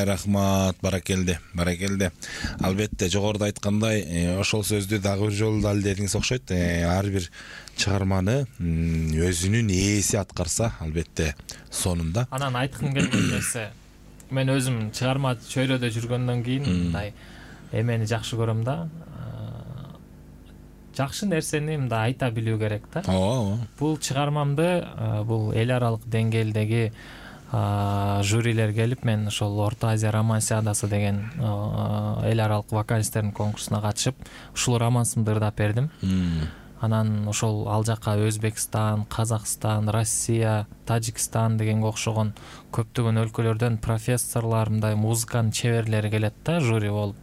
Рахмат, баракелде. Албетте жогоруда айткандай, ошол сөздү дагы бир жолу дал дедиңиз окшойт. Ар бир чыгарманы өзүнүн ээси аткарса, албетте сонунда. Анан айткым келген нерсе, мен өзүм чыгарма чөйрөдө жүргөндөн кийин мындай эмени жакшы көрөм да. Жакшы нерсени мындай айта билүү керек да. Бул чыгармамды бул эл аралык деңгээлдеги жюрилер келип, мен ошол Орто Азия романсиадасы деген эл аралык вокалисттердин конкурсуна катышып, ушул романсымды ырдап бердим. Анан ошол ал жака Өзбекстан, Казакстан, Россия, Тажикстан дегенге окшогон көптөгөн өлкөлөрдөн профессорлор, мындай музыканын чеберлери келет да, жюри болуп.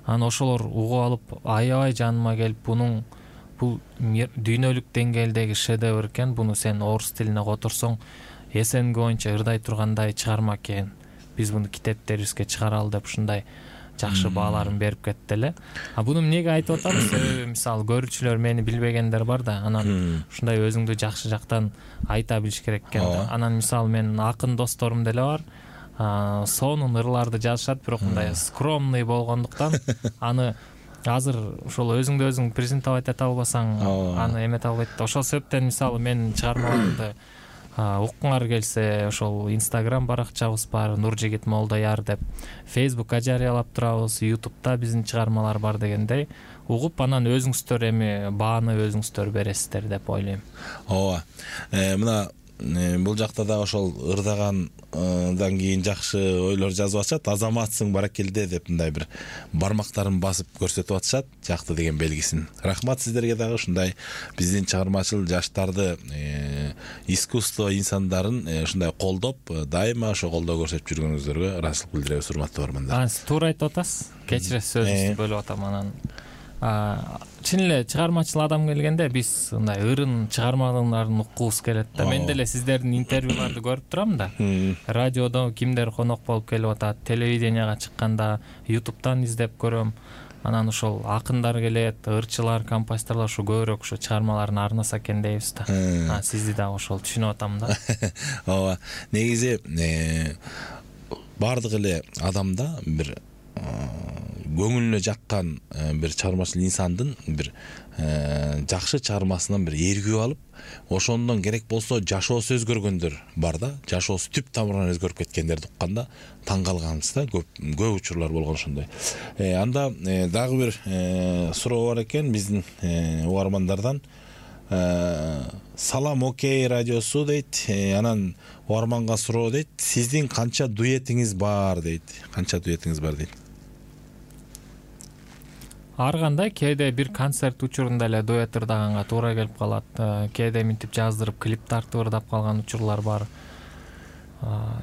Анан ошолор угуп алып, аябай жаныма келип, бул дүйнөлүк деңгээлдеги шедевр экен, буну сен орус тилине которсоң СНГ боюнча ырдай тургандай чыгарма экен. Биз буну китептерибизге чыгаралы деп ушундай жакшы бааларын берип кетти эле. Буну эмнеге айтып атам? Себеби мисалы көрүүчүлөр мени билбегендер бар да, анан ушундай өзүңдү жакшы жактан айта билиш керек экен да. Анан мисалы мен акын досторум деле бар. Сонун ырларды жазышат, бирок мындай скромный болгондуктан аны азыр ошол өзүңдү өзүң презентовать эте албасаң, аны эмете албайт. Ошол себептен мисалы мен чыгармаларымды уккуңар келсе, ошол Instagram баракчабыз бар, Нуржигит Молдояр деп, Facebookка жарыялап турабыз, YouTube'да биздин чыгармалар бар дегендей, угуп анан өзүңүздөр эми бааны өзүңүздөр бересиздер деп ойлойм. Ооба. Мына бул жакта да ошол ырдагандан кийин жакшы ойлор жазып атышат. Азаматсың, баракелде деп мындай бир бармактарын басып көрсөтүп атышат, жакты деген белгисин. Рахмат сиздерге дагы ушундай биздин чыгармачыл жаштарды, искусство инсандарын ушундай колдоп, дайыма ошо колдоо көрсөтүп жүргөнүңүздөргө ыраазычылык билдиребиз, урматтуу бармандар. Туура айтып атасыз. Кечиресиз, сөзүңүздү бөлүп атам. Анан чын эле чыгармачыл адам келгенде биз мындай ырын чыгармаларын уккубуз келет да. Мен деле сиздердин интервьюларды көрүп турам да. Радиодо кимдер конок болуп келип атат, телевиденияга чыкканда, YouTube'дан издеп көрөм. Анан ошол акындар келет, ырчылар, композиторлор ушу көбүрөөк ушу чыгармаларын арнаса экен дейбиз да. Сизди дагы ошол түшүнүп атам да. Ооба. Негизи бардык эле адамда бир көңүлүнө жаккан бир чыгармачыл инсандын бир жакшы чыгармасынан бир эргүү алып, ошондон керек болсо жашоосу өзгөргөндөр бар да, жашоосу түп тамырынан өзгөрүп кеткендерди укканда таң калганбыз да, көп учурлар болгон ошондой. Анда дагы бир суроо бар экен биздин угармандардан. Салам окей радиосу дейт. Анан угарманга суроо дейт. Сиздин канча дуэтиңиз бар дейт. Дейт. Ар кандай, кээде бир концерт учурунда эле дуэт ырдаганга туура келип калат. Кээде минтип жаздырып клип тартып ырдап калган учурлар бар.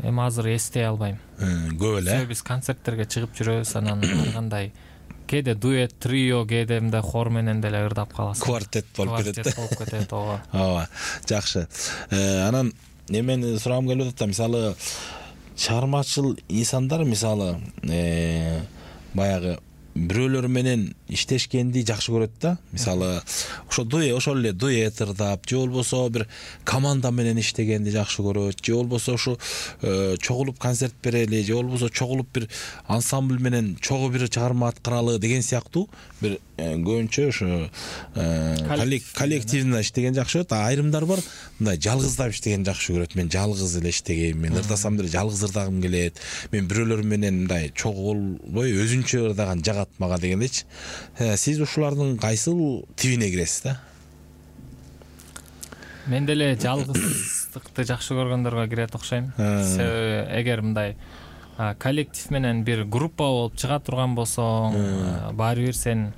Эми азыр эстей албайм. Көп эле. Биз концерттерге чыгып жүрөбүз, анан ар кандай кээде дуэт, трио, кээде мындай хор менен деле ырдап каласың. Квартет болуп кетет. Ооба. Жакшы. Анан эмени сурагым келип атат, мисалы чыгармачыл инсандар мисалы баягы бирөөлөр менен иштешкенди жакшы көрөт да. Мисалы ошол эле дуэт ырдап, же болбосо бир команда менен иштегенди жакшы көрөт, же болбосо ушу чогулуп концерт берели, же болбосо чогулуп бир ансамбль менен чогуу бир чыгарма аткаралы деген сыяктуу бир көбүнчө ушу коллективно иштеген жакшы көрөт. Айрымдар бар мындай жалгыздап иштеген жакшы көрөт. Мен жалгыз эле иштегем, мен ырдасам деле жалгыз ырдагым келет. Мен бирөөлөр менен мындай чогуу болбой өзүнчө ырдаган жагат мага дегендечи. Сиз ушулардын кайсыл тибине киресиз да? Мен деле жалгыздыкты жакшы көргөндөргө кирет окшойм. Себеби эгер мындай коллектив менен бир группа болуп чыга турган болсоң, баары бир сен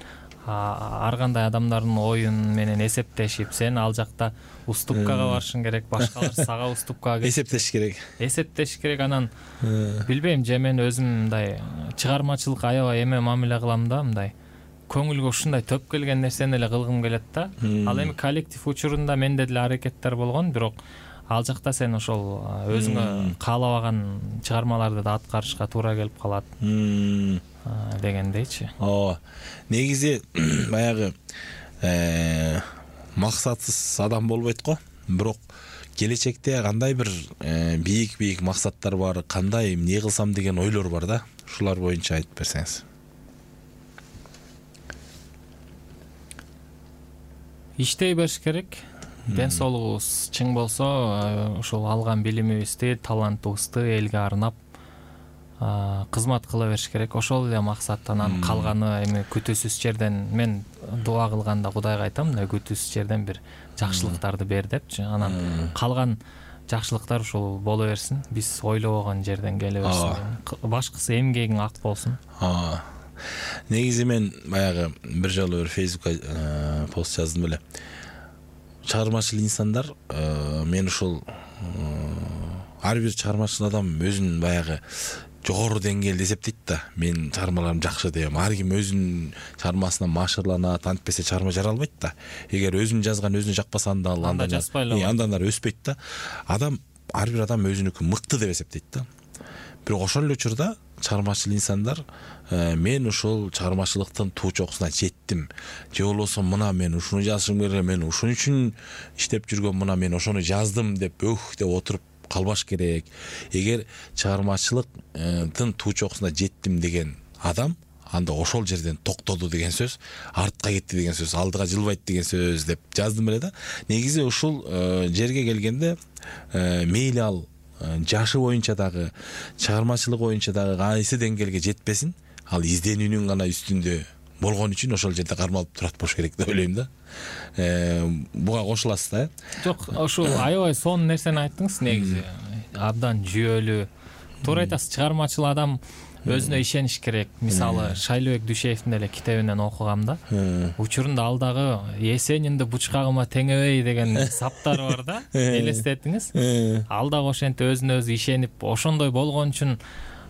ар кандай адамдардын оюн менен эсептешип, сен ал жакта уступкага барышың керек, башкалар сага уступкага эсептеш керек. Анан билбейм, же мен өзүм мындай чыгармачылык аябай эме мамиле кылам да, мындай көңүлгө ушундай төп келген нерсени эле кылгым келет да. Ал эми коллектив учурунда менде деле аракеттер болгон, бирок ал жакта сен ошол өзүңө каалабаган чыгармаларды да аткарышка туура келип калат дегендейчи. Негизи баягы максатсыз адам болбойт го, бирок келечекте кандай бир бийик максаттар бар, кандай эмне кылсам деген ойлор бар да. Ушулар боюнча айтып берсеңиз. Иштей бериш керек. Ден соолугубуз чың болсо, ушул алган билимибизди, талантыбызды элге арнап кызмат кыла бериш керек. Ошол эле максат. Анан калганы эми күтүүсүз жерден, мен дуа кылганда Кудайга айтам, күтүүсүз жерден бир жакшылыктарды бер депчи. Анан калган жакшылыктар ушул боло берсин. Биз ойлобогон жерден келе берсин. Башкысы эмгегиң ак болсун. Негизи мен баягы бир жолу бир Фейсбукка пост жаздым эле. Чыгармачыл инсандар, мен ушул ар бир чыгармачыл адам өзүн баягы жогору деңгээлде эсептейт да. Мен чыгармаларым жакшы дейм. Ар ким өзүнүн чыгармасына машырланат, антпесе чыгарма жара албайт да. Эгер өзүн жазган өзүнө жакпаса анда андан ары өспөйт да. Ар бир адам өзүнүкү мыкты деп эсептейт да. Бирок ошол эле учурда чыгармачыл инсандар мен ушул чыгармачылыктын туу чокусуна жеттим. Же болбосо мына мен ушуну жазышым керек, мен ушун үчүн иштеп жүргөм, мына мен ошону жаздым деп деп отуруп калбаш керек. Эгер чыгармачылыктын туу чокусуна жеттим деген адам анда ошол жерден токтоду деген сөз, артка кетти деген сөз, алдыга жылбайт деген сөз деп жаздым эле да. Негизи ушул жерге келгенде мейли ал жашы боюнча дагы, чыгармачылык боюнча дагы кайсы деңгээлге жетпесин, ал изденүүнүн гана үстүндө болгон үчүн ошол жерде кармалып турат болуш керек деп ойлойм да. Буга кошуласыз да? Жок, ошол аябай сонун нерсени айттыңыз негизи. Абдан жүйөлүү. Туура айтасыз, чыгармачыл адам өзүнө ишениш керек. Мисалы, Шайлообек Дүйшеевдин эле китебинен окугам да. Учурунда ал дагы Есенинди бучкагыма теңебей деген саптары бар да. Элестетиңиз. Ал дагы ошентип өзүнө өзү ишенип, ошондой болгон үчүн,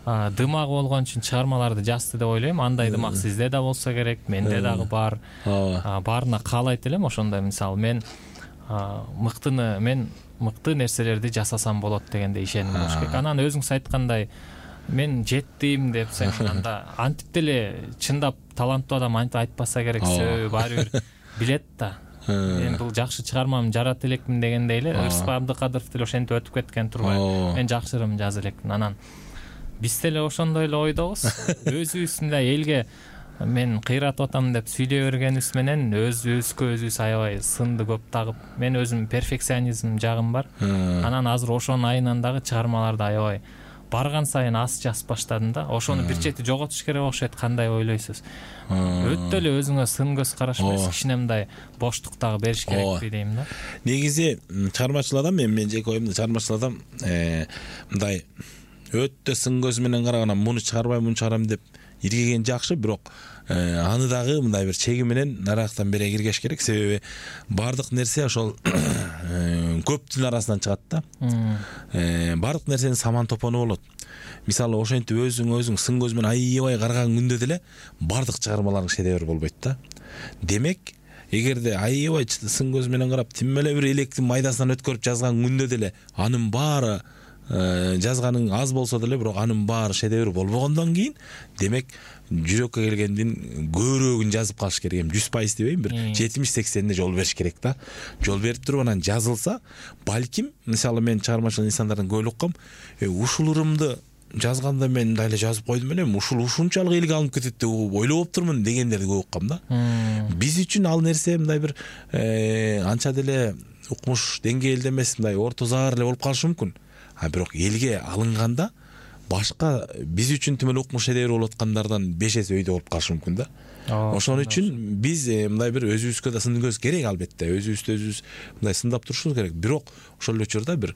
дымагы болгон үчүн чыгармаларды жазды деп ойлойм. Андай дымак сизде да болсо керек, менде дагы бар. Баарына каалайт элем ошондой. Мисалы, мен мыкты нерселерди жасасам болот дегенде ишеним болуш керек. Анан өзүңүз айткандай, мен жеттим депсең, анда антип деле чындап таланттуу адам антип айтпаса керек, себеби баары бир билет да. Мен бул жакшы чыгармамды жарата элекмин дегендей эле Ырысбай Абдыкадыров деле ошентип өтүп кеткен турбайбы. Мен жакшырым жаза элекмин. Анан биз деле ошондой эле ойдобуз. Өзүбүз мындай элге мен кыйратып атам деп сүйлөй бергенибиз менен өзүбүзгө өзүбүз аябай сынды көп тагып, мен өзүм перфекционизм жагым бар. Анан азыр ошонун айынан дагы чыгармаларды аябай барган сайын аз жазып баштадым да. Ошону бир чети жоготуш керек окшойт. Кандай ойлойсуз? Өтө эле өзүңө сын көз караш эмес, кичине мындай боштук дагы бериш керекпи дейм да. Негизи чыгармачыл адам, мен жеке оюмда чыгармачыл адам мындай өтө сын көз менен караган, муну чыгарбайм, муну чыгарам деп иргеген жакшы, бирок аны дагы мындай бир чеги менен нарактан бери киргеш керек. Себеби бардык нерсе ошол көптүн арасынан чыгат да. Бардык нерсенин саман топону болот. Мисалы, ошентип өзүң сын көз менен аябай караган күндө деле бардык чыгармаларың шедевр болбойт да. Демек, эгерде аябай сын көз менен карап, тим эле бир электин майдасынан өткөрүп жазган күндө деле анын баары жазганың аз болсо деле, бирок анын баары шедевр болбогондон кийин, демек жүрөккө келгендин көбүрөөгүн жазып калыш керек. 100% дебейм, бир 70-80 жол бериш керек да. Жол берип туруп анан жазылса, балким, мисалы, мен чыгармачыл инсандардын көбүлүк кам, ушул ырымды жазганда мен мындай эле жазып койдум эле, ушунчалык элге алынып кетет деп ойлоп турмун дегендерди көп уккам да. Биз үчүн ал нерсе мындай бир анча деле укмуш деңгээлде эмес, мындай орто заар эле болуп калышы мүмкүн. Бирок элге алынганда башка биз үчүн тим эле укмуш шедевр болуп аткандардан 5 эсе өйдө болуп калышы мүмкүн да. Ошон үчүн биз мындай бир өзүбүзгө да сын көз керек, албетте. Өзүбүз мындай сындап турушубуз керек. Бирок ошол эле учурда бир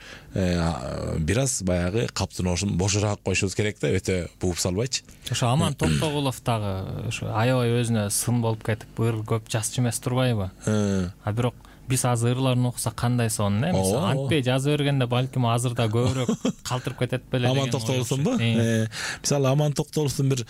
аз баягы каптын бошураак койушубуз керек да, өтө бууп салбайчы. Ошо Аман Токтогулов дагы ошо аябай өзүнө сын болуп кетип, ыр көп жазчу эмес турбайбы? Бирок биз азыр ырларын окусак кандай сонун, мисалы, антпей жаза бергенде балким азырда көбүрөөк калтырып кетет беле деген. Аман Токтогуловдунбу? Мисалы, Аман Токтогуловдун бир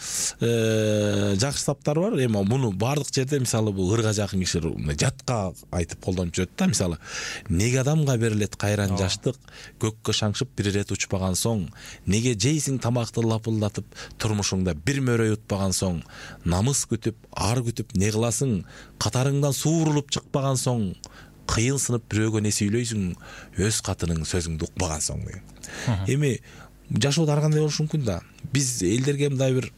жакшы саптары бар. Эми муну бардык жерде, мисалы, бул ырга жакын кишилер жатка айтып колдонуп жүрөт да. Мисалы, неге адамга берилет кайран жаштык, көккө шаңшып бир ирет учпаган соң, неге жейсиң тамакты лапылдатып, турмушуңда бир мөрөй утпаган соң, намыс күтүп, ар күтүп не кыласың, катарыңдан суурулуп чыкпаган соң, кыйынсынып бирөөгө не сүйлөйсүң, өз катының сөзүңдү укпаган соң деген. Эми жашоодо ар кандай болушу мүмкүн да. Биз элдерге мындай бир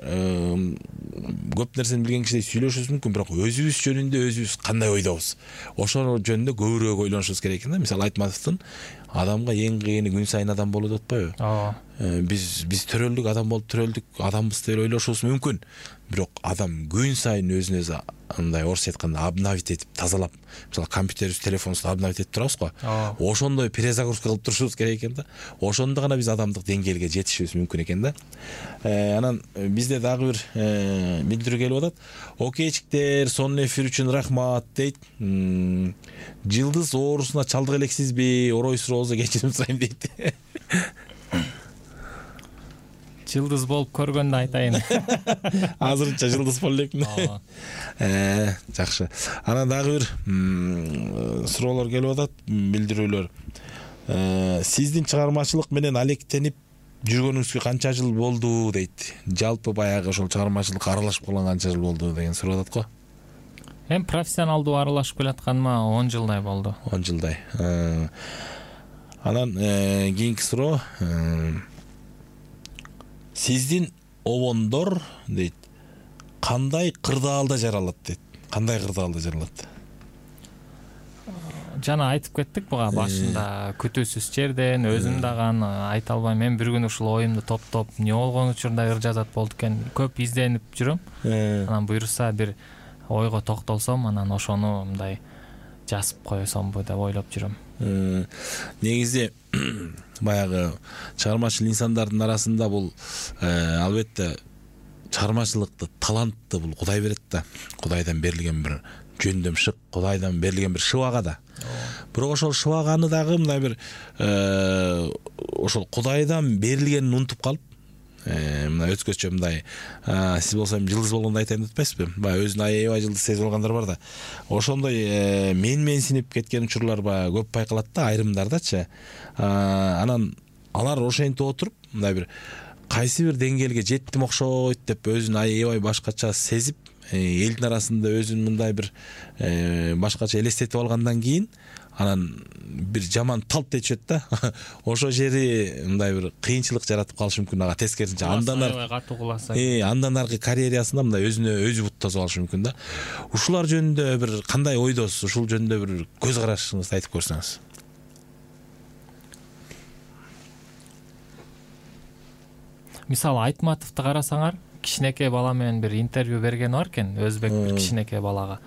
көп нерсени билген кишидей сүйлөшүбүз мүмкүн, бирок өзүбүз жөнүндө өзүбүз кандай ойдобуз, ошол жөнүндө көбүрөөк ойлонушубуз керек экен да. Мисалы Айтматовдун адамга эң кыйыны күн сайын адам болуу деп атпайбы? Биз төрөлдүк, адам болуп төрөлдүк, адамбыз деп ойлошубуз мүмкүн. Бирок адам күн сайын өзүн өзү мындай орусча айтканда обновить этип, тазалап, мисалы компьютерибиз, телефонубузду обновить этип турабыз го. Ошондой перезагрузка кылып турушубуз керек экен да. Ошондо гана биз адамдык деңгээлге жетишибиз мүмкүн экен да. Анан бизде дагы бир билдирүү келип атат. Окейчиктер, сонун эфир үчүн рахмат дейт. Жылдыз оорусуна чалдык элексизби? Орой сурообузда кечирим сурайм дейт. Жылдыз болуп көргөндө айтайын. Азырынча жылдыз боло элекмин. Жакшы. Анан дагы бир суроолор келип атат, билдирүүлөр. Сиздин чыгармачылык менен алектенип жүргөнүңүзгө канча жыл болду дейт. Жалпы баягы ошол чыгармачылыкка аралашып калган канча жыл болду деген сурап атат го. Эми профессионалдуу аралашып келатканыма 10 жылдай болду. 10 жылдай. Анан кийинки суроо. Сиздин обондор дейт, кандай кырдаалда жаралат дейт. Кандай кырдаалда жаралат? Жана айтып кеттик буга башында, күтүүсүз жерден, өзүм дагы айта албайм. Мен бир күн ушул оюмду топтоп, эмне болгон учурда ыр жазат болду экен, көп изденип жүрөм. Анан буюрса бир ойго токтолсом, анан ошону мындай жазып койсомбу деп ойлоп жүрөм. Негизи баягы чыгармачыл инсандардын арасында бул албетте чыгармачылыкты, талантты бул Кудай берет да. Кудайдан берилген бир жөндөм шык, Кудайдан берилген бир шыбага да. Бирок ошол шыбаганы дагы мындай бир ошол Кудайдан берилгенин унутуп калып, мына өзгөчө мындай сиз болсо жылдыз болгондо айтайын деп атпайсызбы? Баягы өзүн аябай жылдыз сезип алгандар бар да. Ошондой менсинип кеткен учурлар баягы көп байкалат да, айрымдардачы. Анан алар ошентип отуруп, мындай бир кайсы бир деңгээлге жеттим окшойт деп өзүн аябай башкача сезип, элдин арасында өзүн мындай бир башкача элестетип алгандан кийин анан бир жаман талт этишет да. Ошол жери мындай бир кыйынчылык жаратып калышы мүмкүн. Ага тескерисинче андан аркы карьерасында мындай өзүнө өзү буттасып алышы мүмкүн да. Ушулар жөнүндө бир кандай ойдосуз? Ушул жөнүндө бир көз карашыңызды айтып көрсөңүз. Мисалы Айтматовду карасаңар, кичинекей бала менен бир интервью берген бар экен, өзбек бир кичинекей балага.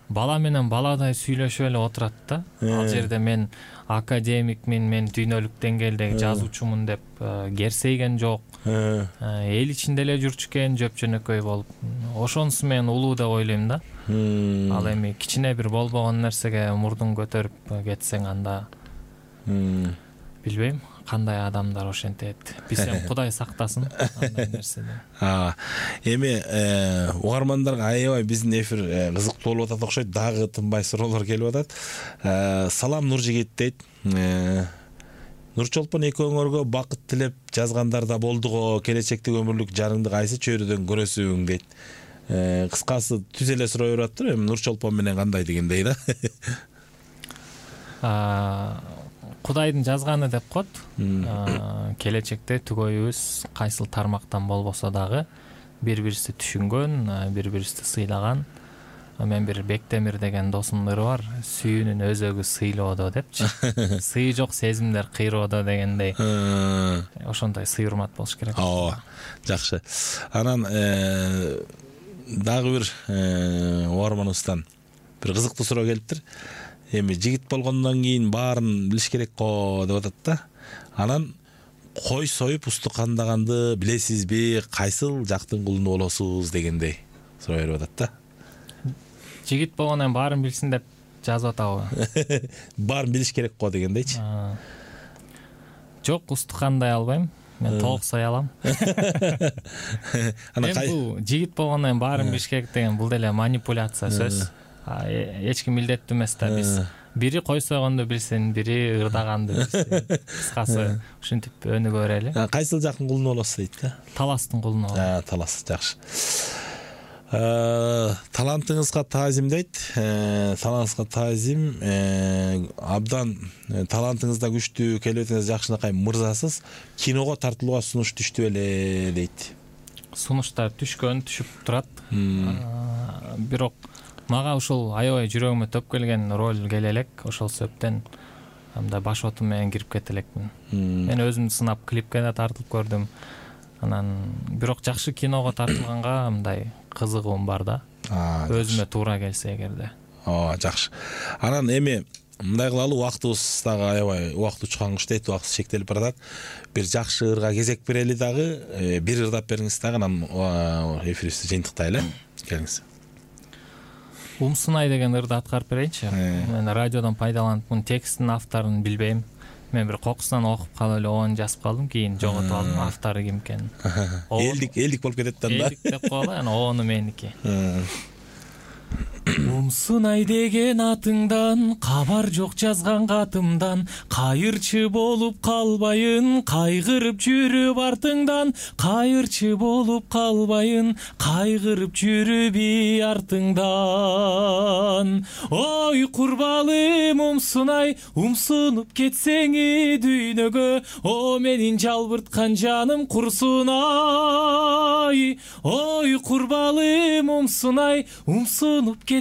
Бала менен баладай сүйлөшүп эле отурат да. Ал жерде мен академикмин, мен дүйнөлүк деңгээлдеги жазуучумун деп керсейген жок. Эл ичинде эле жүрчү экен, жөп-жөнөкөй болуп. Ошонусу мен улуу деп ойлойм да. Ал эми кичине бир болбогон нерсеге мурдун көтөрүп кетсең, анда билбейм кандай адамдар ошентет. Бизем Кудай сактасын андай нерседен. Эми угармандарга аябай биздин эфир кызыктуу болуп атат окшойт. Дагы тынбай суроолор келип атат. Салам Нуржигит дейт. Нурчолпон экөөңөргө бакыт тилеп жазгандар да болдуго. Келечектеги өмүрлүк жарыңды кайсы чөйрөдөн көрөсүң дейт. Кыскасы түз эле суроо берип атыптыр. Эми Нурчолпон менен кандай дегендей да. Кудайдын жазганы деп коет. Келечекте түгөйүбүз кайсыл тармактан болбосо дагы бири-бирибизди түшүнгөн, бири-бирибизди сыйлаган. Мен бир Бектемир деген досумдун ыры бар. Сүйүүнүн өзөгү сыйлоодо депчи. Сый жок сезимдер кыйроодо дегендей. Ошондой сый урмат болуш керек. Жакшы. Анан дагы бир угарманыбыздан бир кызыктуу суроо келиптир. Эми жигит болгондон кийин баарын билиш керек го деп атат да. Анан кой союп усту кандаганды билесизби? Кайсыл жактын кулуну болосуз дегендей суроо берип атат да. Жигит болгондон баарын билсин деп жазып атабы? Баарын билиш керек го дегендейчи. Жок, усту кандай албайм. Мен толук сой алам. Анан бул жигит болгондон баарын билиш керек деген бул деле манипуляция сөз. Эч ким милдеттүү эмес да. Биз бири кой сойгонду билсин, бири ырдаганды билсин. Кыскасы ушинтип өнүгө берели. Кайсыл жактын кулуну болосуз дейт да. Таластын кулуну болот. Талас, жакшы. Талантыңызга таазим дейт. Талантыңызга таазим. Абдан талантыңызда күчтүү, келбетиңиз жакшынакай мырзасыз. Киного тартылууга сунуш түштү беле дейт. Сунуштар түшүп турат. Бирок мага ушул аябай жүрөгүмө төп келген роль келе элек. Ошол себептен мындай баш отум менен кирип кете элекмин. Мен өзүмдү сынап клипке да тартылып көрдүм. Анан бирок жакшы киного тартылганга мындай кызыгуум бар да. Өзүмө туура келсе эгерде. Жакшы. Анан эми мындай кылалы, убактыбыз дагы аябай убакыт учкан куштайт, убакыт чектелип баратат. Бир жакшы ырга кезек берели дагы. Бир ырдап бериңиз дагы, анан эфирибизди жыйынтыктайлы. Келиңиз. Умсунай деген ырды аткарып берейинчи. Мен радиодон пайдаланып, мунун текстин авторун билбейм. Мен бир кокусунан окуп калып эле оон жазып калдым, кийин жоготуп алдым автору ким экенин. Элдик болуп кетет да. Элдик деп коелу, анан оону меники. Умсунай деген атыңдан, кабар жок жазган катымдан, кайырчы болуп калбайын, кайгырып жүрүп артыңдан, кайырчы болуп калбайын, кайгырып жүрүп артыңдан. Ой курбалым умсунай, умсунуп кетсең дүйнөгө, о менин жалбырткан жаным курсунай. Ой курбалым умсунай, умсунуп кетсең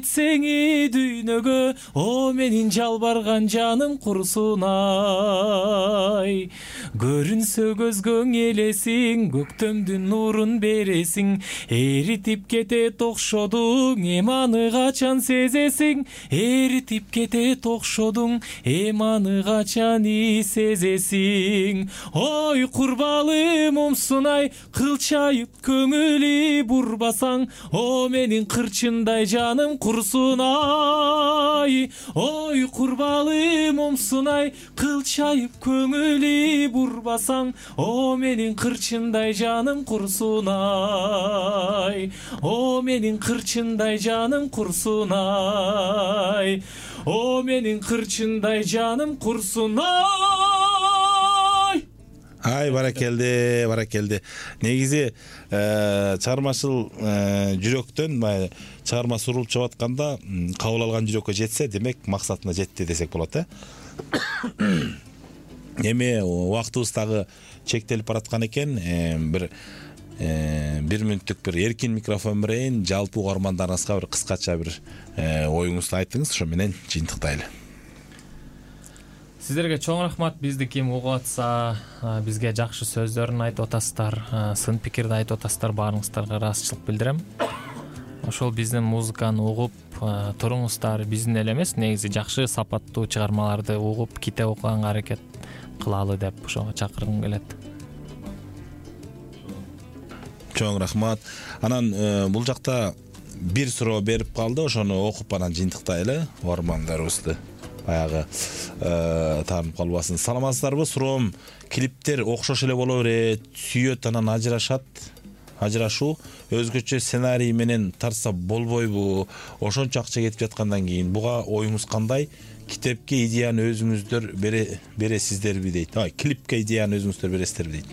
дүйнөгө, о менин жалбарган жаным курсунай. Көрүнсө көзгөң элесиң, көктөмдүн нурун бересиң, эритип кетет окшодуң, эми аны качан сезесиң, эритип кетет окшодуң, эми аны качан сезесиң. Ой курбалым умсунай, кылчайып көңүлү бурбасаң, о менин кырчындай жаным курсунай. Ой курбалым умсунай, кылчайып көңүлү бурбасаң, о менин кырчындай жаным курсунай. О менин кырчындай жаным курсунай. О менин кырчындай жаным курсунай. Ай баракелди. Негизи чыгармачыл жүрөктөн чыгарма сурулуп чыгып атканда кабыл алган жүрөккө жетсе, демек максатына жетти десек болот. Эми убактыбыз дагы чектелип бараткан экен. Бир мүнөттүк бир эркин микрофон берейин, жалпы угармандарыңызга бир кыскача бир оюңузду айтыңыз, ошо менен жыйынтыктайлы. Сиздерге чоң рахмат. Бизди ким угуп атса, бизге жакшы сөздөрүн айтып атасыздар, сын пикирди айтып атасыздар, баарыңыздарга ыраазычылык билдирем. Ошол биздин музыканы угуп туруңуздар, биздин эле эмес, негизи жакшы сапаттуу чыгармаларды угуп, китеп окуганга аракет кылалы деп ошого чакыргым келет. Чоң рахмат. Анан бул жакта бир суроо берип калды, ошону окуп анан жыйынтыктайлы угармандарыбызды. Баягы таанып калбасын. Саламатсыздарбы? Суроом, клиптер окшош эле боло берет, сүйөт анан ажырашуу өзгөчө сценарий менен тартса болбойбу? Ошончо акча кетип жаткандан кийин буга оюңуз кандай? Китепке идеяны өзүңүздөр бересиздерби дейт. Клипке идеяны өзүңүздөр бересиздерби дейт.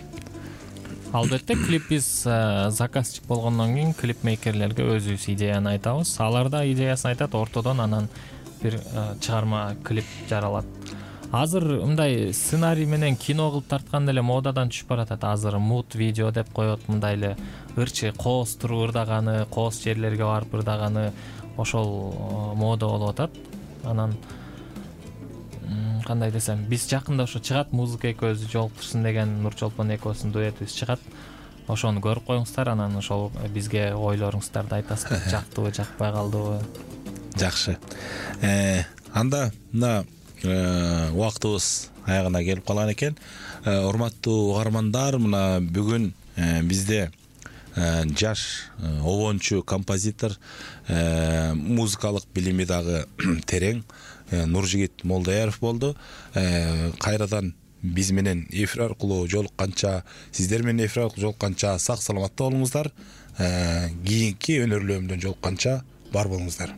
Албетте, клип биз заказчик болгондон кийин клипмейкерлерге өзүбүз идеяны айтабыз. Алар да идеясын айтат, ортодон анан бир чыгарма клип жаралат. Азыр мындай сценарий менен кино кылып тарткан эле модадан түшүп баратат. Азыр мут видео деп коет, мындай эле ырчы кооз туруп ырдаганы, кооз жерлерге барып ырдаганы ошол мода болуп атат. Анан кандай десем, биз жакында ошо чыгат, музыка экөөбүздү жолуктурсын деген Нурчолпон экөөбүздүн дуэтибиз чыгат. Ошону көрүп коюңуздар, анан ошол бизге ойлоруңуздарды айтасыздар. Жактыбы, жакпай калдыбы? Жакшы. Анда мына убактыбыз аягына келип калган экен. Урматтуу угармандар, мына бүгүн бизде жаш обончу композитор, музыкалык билими дагы терең Нуржигит Молдаяров болду. Кайрадан биз менен эфир аркылуу жолукканча, сиздер менен эфир аркылуу жолукканча сак саламатта болуңуздар. Кийинки өнөрлөрүмдөн жолукканча бар болуңуздар.